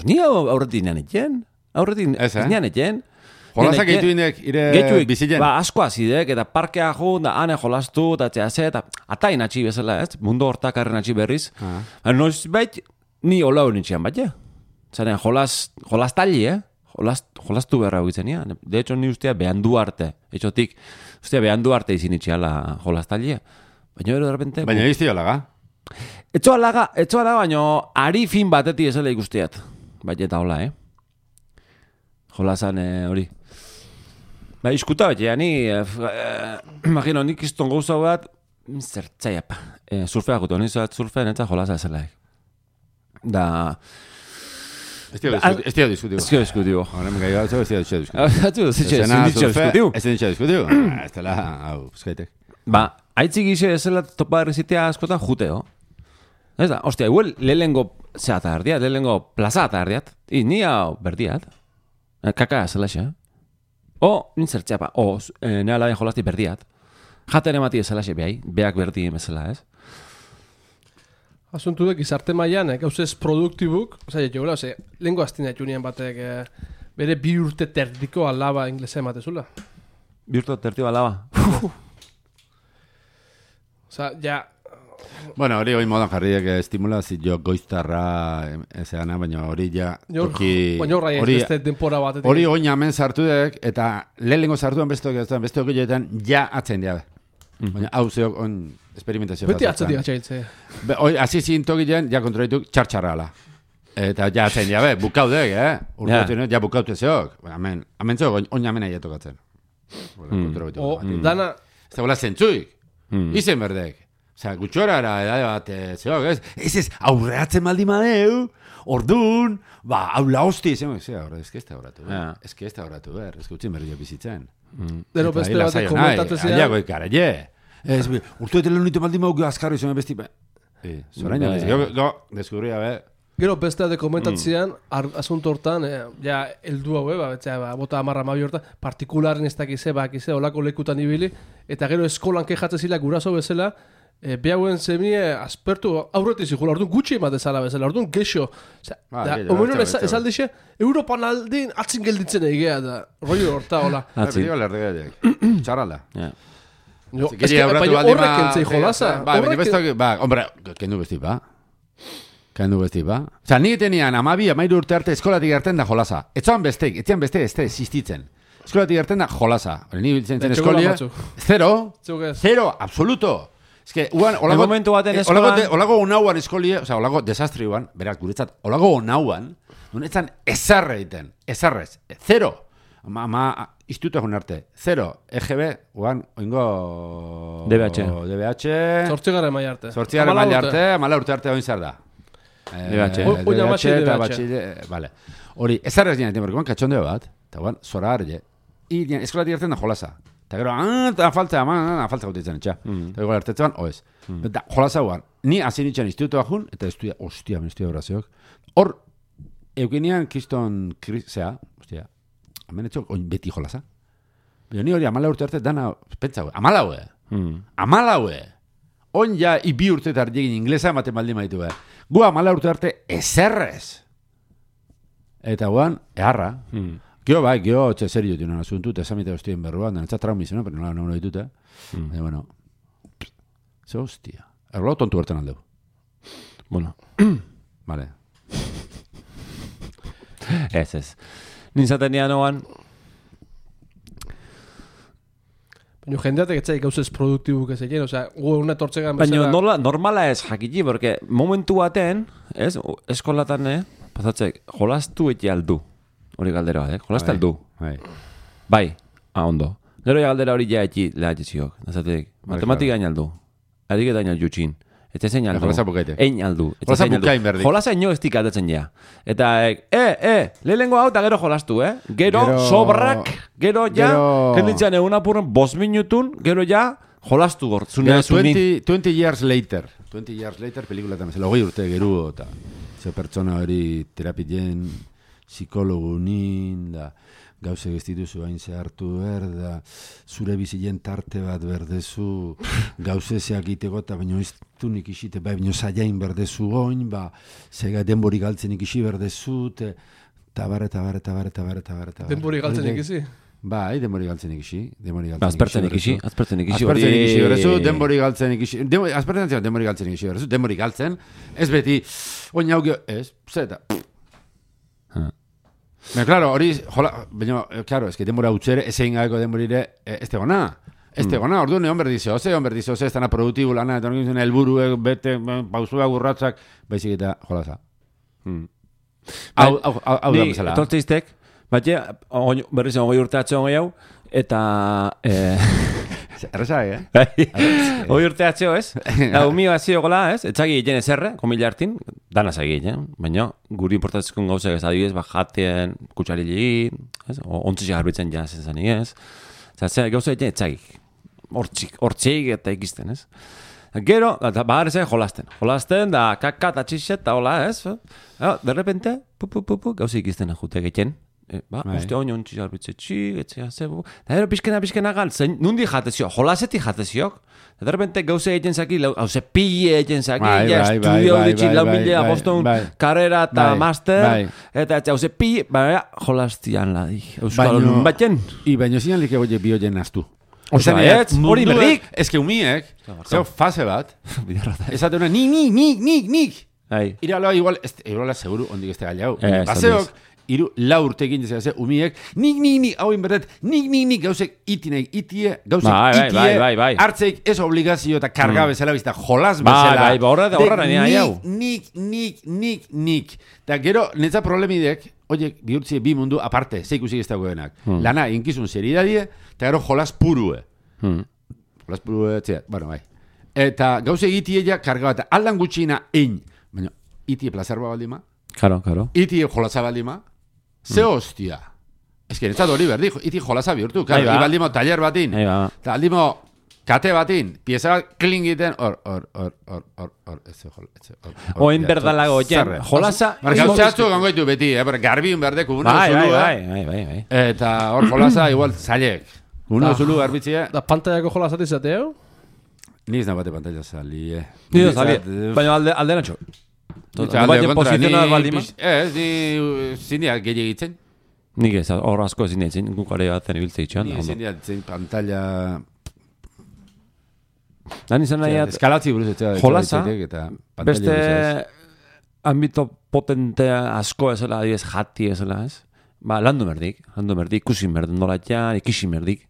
Ni aurretik nean etxen, aurretik nean etxen. Jolazak gehitu indek, ire bizitzen. Ba, asko azidek, eta parkea jo, da ane jolaztu, eta txea ze, eta atain atxi bezala, ez? Mundo hortakarren atxi berriz. Noiz bait, ni hola hori nintxean bat, ja. Zaren, jolaz, jolaz tali, eh? Jolaz, jolaztu berra egitzen, ja. De hecho, ni ustea behandu arte. Etxotik, ustea behandu arte izin itxiala jolaz tali, baina ero, de repente... Baina izti holaga? Etxo alaga, etxo alaga, baina ari fin batetik ezela ikusteat. Baina eta hola, eh? Jolazan hori. Ba, iskuta bat, ja, ni... Imagino, nik izton gauza bat... Zertzaiap. Surfea gutu, nizuat surfean eta jolaza ezelaik. Da... Estio diskutibo. Estio diskutibo. Horren gai bat, estio diskutibo. Atzu, zitxe diskutibo. Ez ditxe diskutibo. Ez dela, hau, eskaitek. Ba, haitzik ixe ezela topa errezitea askotan juteo. Ez da, ostia, igual lehengo zeata erdiat, lehengo plazata erdiat. I, ni hau berdiat. Kaka zela xe. O, nintzertzea pa, o, nea laben jolazti berdiat. Jaten emati ezela xe behai, beak berdi emezela, ez? Asuntu dek, izarte maian, gauzez produktibuk, oza, jo, ze, lehenko aztina junien batek, eh, bere bi urte terdiko alaba inglesa ematezula. Bi urte terdiko alaba? Oza, ja... Bueno, hori hori modan jarriek estimulazio goiztarra ezeana, baina hori ja... Baina horra ez beste denpora batetik. Hori oin hemen sartu dek, eta lehenengo sartuan besteok ez da, besteok joetan ja atzen diabe. Baina hau zeok on experimentazio bat. Beti atzatik atxailtze. Hasi zintok gilean, ja kontrolituk txartxarra ala. Eta ja atzen diabe, bukaudek, eh? Urteotin, ja bukautu zeok. Hemen, hemen zeok, oin hemen ahi etokatzen. O, dana... Ez da bola zentzuik. Izen berdek. Osa, gutxorara, edade bat, zeok, ez? Ez ez, aurreatzen maldi madeu, orduan, ba, hau la hosti, zeok, ez ez ez da horatu, ez ez da horatu, ber, ez gutxin berri bizitzen. Dero beste bat komentatu zean. Aiago ikara, je. Ez, urtu etel unitu maldi maugu azkarri zuen besti, zorain ez, go, deskubria, be. Gero beste bat komentatzean, asunto hortan, ja, eldu hau, ba, betzea, bota amarra mabi hortan, partikularen ez dakize, bakize, olako lekutan ibili, eta gero eskolan kejatzen zila guraso bezala, E, behauen zemie aspertu aurretik zikula, orduan gutxi ematezala bezala, orduan geixo. Omenon ez aldixe, Europan aldin atzin gelditzen egea da, roi horta, hola. Atzin. Txarralda. Ez que, baina horrek entzei jolaza. Ba, baina bestak, ba, hombre, kendu besti, ba. Kendu besti, ba. Osa, nik tenian amabi, amairu urte arte eskolatik gerten da jolaza. Etxan bestek, etxan beste, ez da existitzen. Eskolatik gerten da jolaza. Ni biltzen zen eskolia. Zero, zero, absoluto. Ez que, uan, olago, eh, olago, de, olago unauan eskolie, oza, olago desastri uan, berak, guretzat, olago unauan, nunetzan ezarre egiten, ezarrez, zero, ama, ama, istutu egun arte, zero, E G B, uan, oingo... D B H. D B H. Zortzigaren maila arte. Zortzigaren maila arte, amala urte arte oin zer da. D B H. D B H eta batxide, vale. Hori, ezarrez ginen, porque uan katxondeo bat, eta uan, zora arge, i, eskolatik gertzen da jolaza. Eta gero, ah, falta, ah, falta gautitzen etxa. Eta gero, ertetzean, oez. Eta jolaza guan, ni hasi nintzen instituto bajun, eta estudia, ostia, men estudia brazeok. Hor, eukenian kriston, zea, ostia, hemen etxok, oin beti jolaza. Pero ni hori amala urte arte, dana, pentsa, amala hue. Amala hue. Oin ja, ibi urte tardiegin inglesa ematen baldin maitu, eh. Gu amala urte arte, ezerrez. Eta guan, eharra. Gio, bai, gio, txe, serio, tino, asuntu, eta esamite hostien berruan, dena, txat traumizena, pero nola, nola ditut, eh? Mm. E, bueno, ze hostia. Erlo, tontu bertan aldeu. Bueno. Vale. Ez, ez. Nintzaten nian oan... Baina jendeatek etzai gauzez produktibuk ez egin, osea, gu una tortzegan bezala... Baina nola, normala ez jakiti, porque momentu baten, ez, eskolatan, eh, pasatzek, jolastu eti aldu. Hori galdera bat, eh? Jolazta aldu. Bai. Bai, ah, ondo. Gero ja galdera hori ja eti lehatziziok. Nazatek, matematika hain aldu. Ariketa hain aldu txin. Eta zein aldu. Jolaza bukaite. Ein aldu. Jolaza bukain berdi. Jolaza ino estik aldatzen ja. Eta, eh, eh, lehenengo hau eta gero jolastu, eh? Gero, gero... sobrak, gero ja, gero... kenditzen egun apurren bos minutun, gero ja, jolastu gor. Gero, twenty years later. twenty years later, pelikula eta mesela, hogei urte geru, eta ze pertsona hori terapien... psikologu nin, da, gauze gestituzu hain zehartu behar, da, zure bizien tarte bat berdezu, gauze zeak iteko, eta baino ez du nik isite, bai, baino zaiain berdezu goin, ba, zega denbori galtzen ikisi berdezu, te, tabar, tabar, tabar, tabar, tabar, tabar. Denbori galtzen ikisi? Bai, denbori galtzen ikisi. Azpertzen ikisi, azpertzen ikisi. Azpertzen ikisi berdezu, denbori galtzen ikisi. Azpertzen ikisi, denbori galtzen ikisi berdezu, denbori galtzen, ez beti, oin hau gio, ez, zeta, Baina, claro, hori, jola, baina, claro, es que denbora utxere, ez egin gabeko denborire, ez tegona. Ez tegona, ordu neon berdizo, ze, on berdizo, ze, ez dana produktibu lana, eta horrekin zen, elburuek, bete, pausua gurratzak, baizik eta jolaza. Hau, hau, hau da bezala. Ni, tortzeiztek, bat berriz egin goi urte atxe hau, eta... Erresa, eh? Hoi urte atzeo, ez? Da, umio atzeo gola, ez? Etzagi egin ezerre, komila hartin, dana zagi egin, baina guri importatzeko gauzak ez adibidez, ba, jaten, kutsari egin, ez? Ontzitxe garbitzen jazen zani, ez? Zatzea, gauza egin etzagik. Hortzik, hortzik eta ikizten, ez? Gero, bahar ezak jolasten. Jolasten, da, kaka eta txixet, eta hola, ez? De repente, pu, pu, pu, pu, gauza ikizten jute egiten. E, ba, uste honi ontsi jarbitze txik, etzea, zebu. Da, ero, pizkena, pizkena gal, zen, nundi jatezio, jolasetik jatezio. Da, de repente, gauza egiten zaki, hauze pille egiten zaki, ja, estudio ditxi, lau milea, boston, karrera eta master, eta etzea, hauze pille, baina, jolastian ladi. Euskal honun batzen. I baino zian like goie bioien aztu. Osa, ez, hori berrik. Ez que umiek, zeu fase bat, esate una, nik, nik, nik, nik, nik. Iraloa igual, igual seguru, ondik este galiau. Baseok, iru lau urte egin dezea, ze, umiek, nik, nik, nik, hau inberdet, nik, nik, nik, gauzek itinek, itie, gauzek itie, hartzeik ez obligazio eta karga bezala bizta, jolas bezala. Bai, bai, horra da, horra da, nik, nik, nik, nik. Eta gero, netza problemidek, oiek, bihurtzie bi mundu aparte, zeikusik ez dagoenak. Lana, inkizun seridadie, eta gero jolas purue. Jolas purue, txea, bueno, bai. Eta gauzek itie ja karga bat, aldan gutxina ein, baina, itie plazarba baldima, Karo, karo. Itie jolasa baldima, ze hostia. Ez que netzat hori berdi, iti jolasa bihurtu. Ibaldimo taller batin, eta aldimo kate batin, pieza bat klingiten, hor, hor, hor, hor, hor, hor, ez hor, ez hor. Oin berdalago, jen, jolasa... Gauzatzu gangoitu beti, garbi un berdek, uno bai, zulu, bai, bai, bai, bai. Eta hor jolasa igual zailek. Uno zulu garbitzia. Da pantallako jolasat izateo? Niz nabate pantalla sali, eh. Niz sali, baina alde natxo. Baina posizionar baldima? Ez, ni zindiak gehiagitzen. Nik ez, hor asko ezin ditzen, gukare batzen ibiltze itxan. Ni ezin ditzen pantalla... Dan izan nahi... Eskalatzi buruz etxea. Jolasa, beste ambito potentea asko ezela, adibidez jati ezela, ez? Ba, landu merdik, landu merdik, ikusin merden dolatxan, ikisin merdik.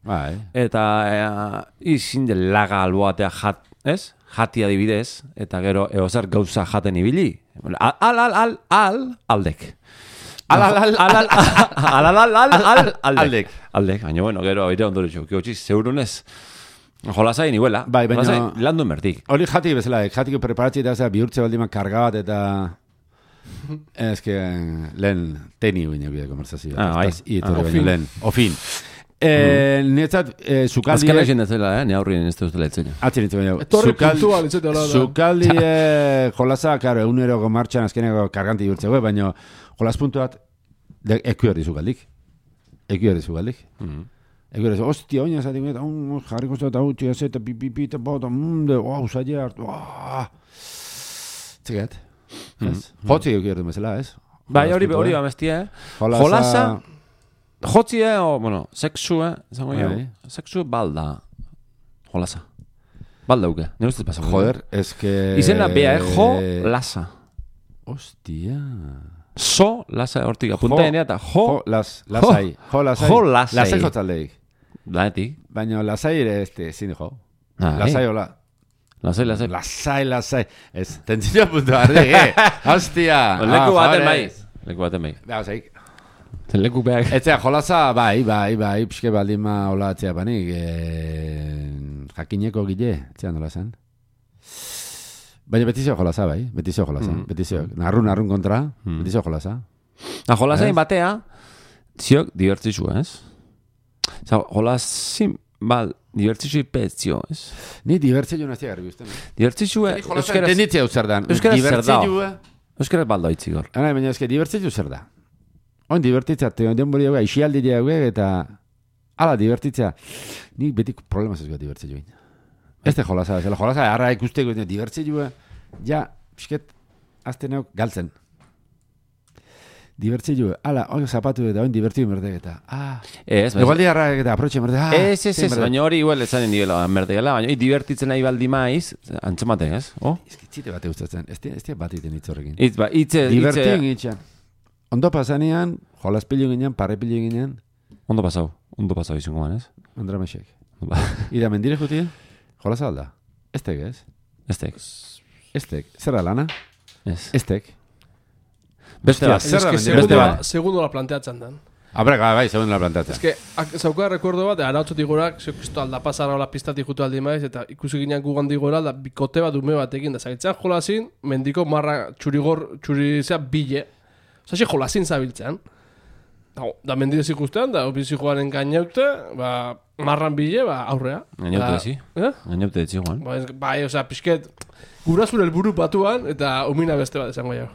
Eta izin de laga alboatea jat, ez? Jati adibidez, eta gero eozer gauza jaten ibili. Al, al, al, al, aldek. Al, al, al, al, al, al, al, al, aldek. Aldek, baina bueno, gero aire ondoretxo, kiotxiz, zeurunez, jolasa inibuela. Bai, baina... Landu merdik. Hori jati bezala, jatiko preparatzi eta bihurtze baldima karga bat eta... Ez que lehen teni guinak bide konversazioa. Ah, bai. Ofin. Lehen, ofin. Eh, Netzat, sukaldi... Azkena egin dezela, eh? Ne aurrien ez duzela etzena. Atzien itzen baina. Etorri puntual itzete hola da. Sukaldi jolasa, karo, egunero martxan azkeneko karganti bihurtzeko, baina jolas puntuat eku erdi sukaldik. Eku erdi sukaldik. Eku erdi, ostia, oina zatik, jarriko zeta, hau, txia zeta, pipipi, eta bota, munde, wow, zaila hartu, txekat. Jotzi eku erdi bezala, ez? Bai, hori hori bamestia, eh? Jolasa... Jotzi, eh, o, bueno, sexu, eh, zango jo, sexu balda, jolasa. Balda uke, nire ustez pasako. Joder, ez que... Izena bea, eh, jo, lasa. Hostia. So, lasa, hortik, apunta enea eta jo... Jo, las, lasai. Jo, lasai. Jo, lasai. Lasai jotzaldeik. Laetik. Baina lasai ere, este, zine jo. Lasai hola. Lasai, lasai. Lasai, lasai. Ez, tentzio puntu ardi, eh. Hostia. Leku baten bai. Leku baten bai. Beha, zaik. Leku behar. Etzea, jolasa, bai, bai, bai, pixke baldima hola atzea panik, e, jakineko gile, etzea nola zen. Baina betizio jolasa, bai, betizio jolasa, mm. betizio, narrun, narrun kontra, mm. betizio jolasa. Na, jolasain batea, ziok, divertzizu, ez? Zau, jolasin, bal, divertzizu petzio, ez? Ni divertzizu nazia garbi uste, no? Divertzizu, eh? Jolasa, entenditzea zer dan. Euskaraz zer dao. Euskaraz baldo itzigor. Ana, baina eske, divertzizu zer da. Oin divertitzea, den bori hauek, aixialdi hauek, eta ala divertitzea. Nik betik problemaz ez gara divertzizu egin. Ez de jolasa, ez da jolasa, harra ikusteko divertzizu, ja, pisket, azte neok galtzen. Divertzizu, ala, oin zapatu eta oin divertzizu merdek eta, ah, egualdi harra eta aprotxe merdek, ah, ez, ez, ez, baina hori igual ezanen nivela merdekela, baina divertitzen nahi baldi maiz, antzamate, ez? Ez kitzite bate gustatzen, ez dira bat iten hitzorrekin. Itz, ba, itze, divertien itxan. Ondo pasanean, jolas pilu ginen, parre pilu ginen. Ondo pasau, ondo pasau izango man, ez? Ondra mesek. Ida mendire juti, jolas alda. Estek, ez? Estek. Estek. Zer da lana? Ez. Estek. Beste bat. Zer da mendire? Segundo la planteatzen dan. Abre, bai, zeuden la plantatzen. Ez que, zauka recuerdo bat, arautzotik gorak, zeokisto alda pasara hola pistatik jutu aldi maiz, eta ikusi ginean gugan digora, da bikote bat dume batekin, da zagitzen jolazin, mendiko marra txurigor, txurizea bile. Osa, jolazin zabiltzen. Da, da mendidez ikustean, da opizi joaren gainaute, ba, marran bile, ba, aurrea. Gainaute ezi? Eh? Gainaute ezi, Juan. Ba, bai, oza, pixket, gurasun helburu batuan, eta umina beste bat esango jau.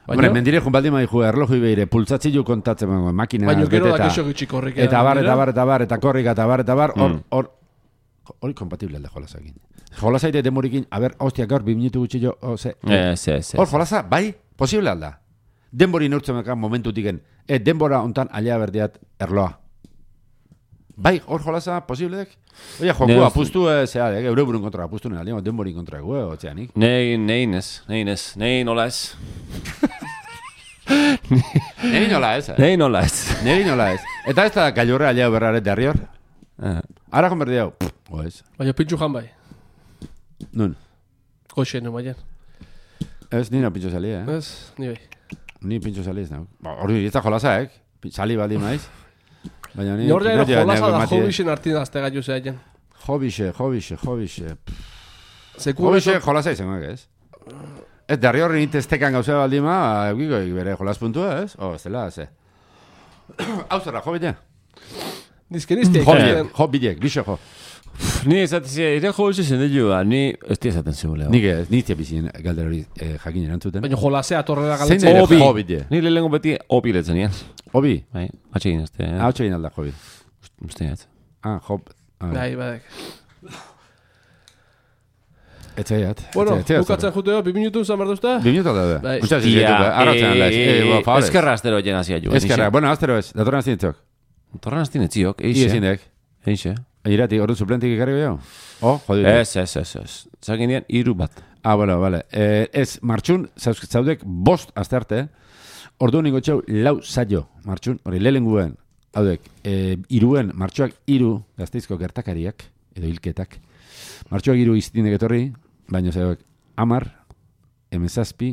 Hombre, mendire jun baldi maizu erloju beire, pultzatzi ju kontatzen mango, makina baina gero da kexo gitxi korrik. Eta bar, eta bar, eta bar, eta korrik, eta bar, eta bar, hor, hor, hori kompatible alde jolasakin. Jolasaite demorikin, a ber, hostia, gaur, bi minutu gutxi jo, ose. Hor, jolasa, bai, posible alda. Denbori neurtzen mekan momentutiken, e, denbora ontan alia berdiat erloa. Bai, hor jolasa, posibleek? Oia, joku apustu, zea, eure burun kontra apustu nena, denbori kontra egu, otzeanik. Nei, nei nes, nei nes, nei nola ez. Nei nola ez, eh? Nei nola ez. Nei nola ez. Eta ez da gailurre alia berraret derri hor? Ara konberdi hau, o ez. Baina pintxu jan bai. Nun? Koxe, no baina. Ez, nina pintxo sali, eh? Ez, ni bai. Ni pintxo sali ez, no? Hori, ez da jolasa, eh? Sali baldi maiz. Baina ni... Norra ero jolasa da hobixen artin azte gaitu zehaien. Hobixe, hobixe, hobixe. Hobixe jolasa izango, ez? Ez, derri horri ninteztekan gauzea baldima, eukiko bere jolas puntua, ez? Oh, ez dela, ze. Hau zerra, jo bidea? Dizkenizte. Jo bidek, bixe jo. Ni esatzea, ere jo bize zen dugu, ni ez tia esaten zebuleo. Nik ez, niztia bizien galdera hori jakin erantzuten. Baina jolasea torrela galetzen. Zein ere jo bidea? Ni lehenko beti obi letzen nian. Obi? Bai, atxegin ezte. Ah, atxegin alda, jo bi. Uste ez. Ah, jo. Bai, badek. Etxaiat. Bueno, bukatzen juteo, bi minutu zan berduzta? Bi minutu da, bai. Usta zizetuko, arratzen alda. Ezkerra astero jen hazi aju. Ezkerra, bueno, astero ez, datorren aztin etziok. Datorren aztin etziok, eixe. Iezindek. Eixe. Irati, ordu suplentik ikarri gehiago? Oh, jodir. Ez, ez, ez, ez. Zakin dian, iru bat. Ah, bueno, vale. Eh, ez, martxun, zaudek bost azte arte, ordu ningo txau lau saio, martxun, hori lehenguen, haudek, eh, iruen, martxuak iru, gazteizko gertakariak, edo hilketak, martxuak iru iztindek etorri, baina zaudek, amar, emezazpi,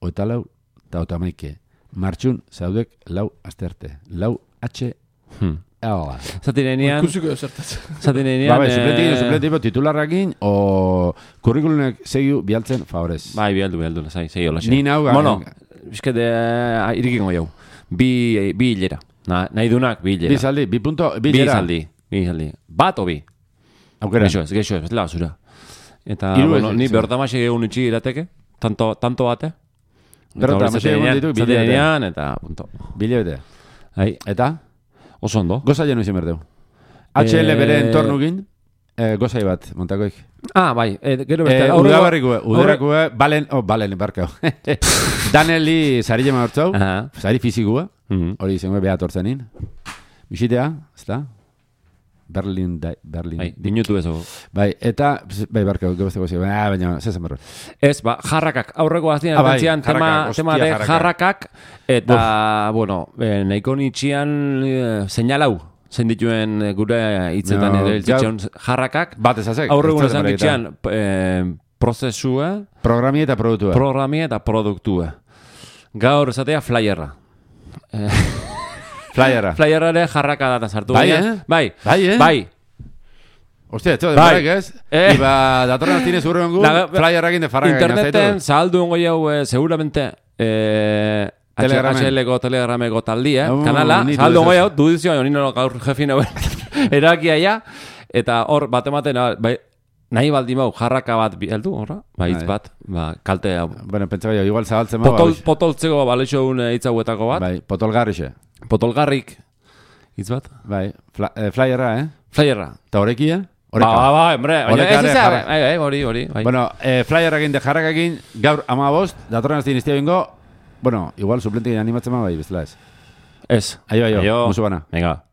oeta lau, eta ota maike. Martxun, zaudek lau azte arte. Lau H, Hmm. Ela. Zatinean... Ikusiko jo zertatzen. Zatinean... Ba, bai, suplentik, suplentik, titularrakin, o kurrikulunek segiu bialtzen favorez. Bai, bialdu, bialdu, zai, segi hola. Ni nau... Bueno, bizkete, irikingo jau. Bi, bi hilera. Na, nahi dunak, bi hilera. Bi zaldi, bi punto, bi hilera. hilera. Bi zaldi, bi zaldi. Bat o bi? Aukera. Geixo ez, geixo ez, bezala basura. Eta, bueno, ni bertamaxe egun itxi irateke, tanto, tanto bate. Bertamaxe egun ditu, bi hilera. Eta, punto. Bi hilera. Eta? Oso ondo. Goza jenu izan berdeu. H L bere entornugin, eh, gozai bat, montakoik. Ah, bai, eh, gero beste. Eh, Udabarrikue, udabarrikue, balen, oh, balen, barkau. Daneli sari jema hortzau, sari fizikua, hori izango behat hortzenin. Bisitea, ez da? Berlin, da, Berlin. Bai, dinutu ez. Bai, eta, bai, barkau, gebazte gozio, baina, baina, zezan berro. Ez, ba, jarrakak, aurreko aztean, ah, bai, tema, tema de jarrakak, eta, Buf. bueno, eh, nahiko nitxian eh, seinalau, zein dituen gure hitzetan no, ere iltzitzen jarrakak. Bat ezazek. Aurreko ezan ditxian eh, prozesua. Programia eta produktua. Programia eta produktua. Gaur esatea flyerra. Flyerra. Flyerra ere jarraka data sartu. Bai, eh? Bai. Bai, eh? Bai. Hostia, esto de bai. Barek, ez? Eh? Iba, datorren tienes urren gu, flyerra egin de farraka. Interneten, zahaldu ongo jau, eh, seguramente, eh, H L-ko telegrameko taldi, eh? Uh, kanala, zahaldu ongo jau, dudizioa, nino gaur jefin hau erakia ja, eta hor, batematen, bai, nahi baldi mau, jarraka bat bialdu, horra? Ba, hitz bat, ba, kalte hau. Bueno, pentsa bai, igual zabaltzen mau. Potol, potoltzeko baleixo un hitz hauetako bat. Bai, potolgarrixe. Potolgarrik, hitz bat. Bai, Fla, eh, flyerra, eh? Flyerra. Ta horekia? Ba, ba, ba, hombre. Horekare, jarra. Bai, bai, hori, hori. Bueno, eh, flyerra egin de jarraka egin, gaur ama bost, datorren azte inistia bingo, bueno, igual suplentik animatzen ma bai, bestela ez. Ez. Aio, aio, musu bana. Venga.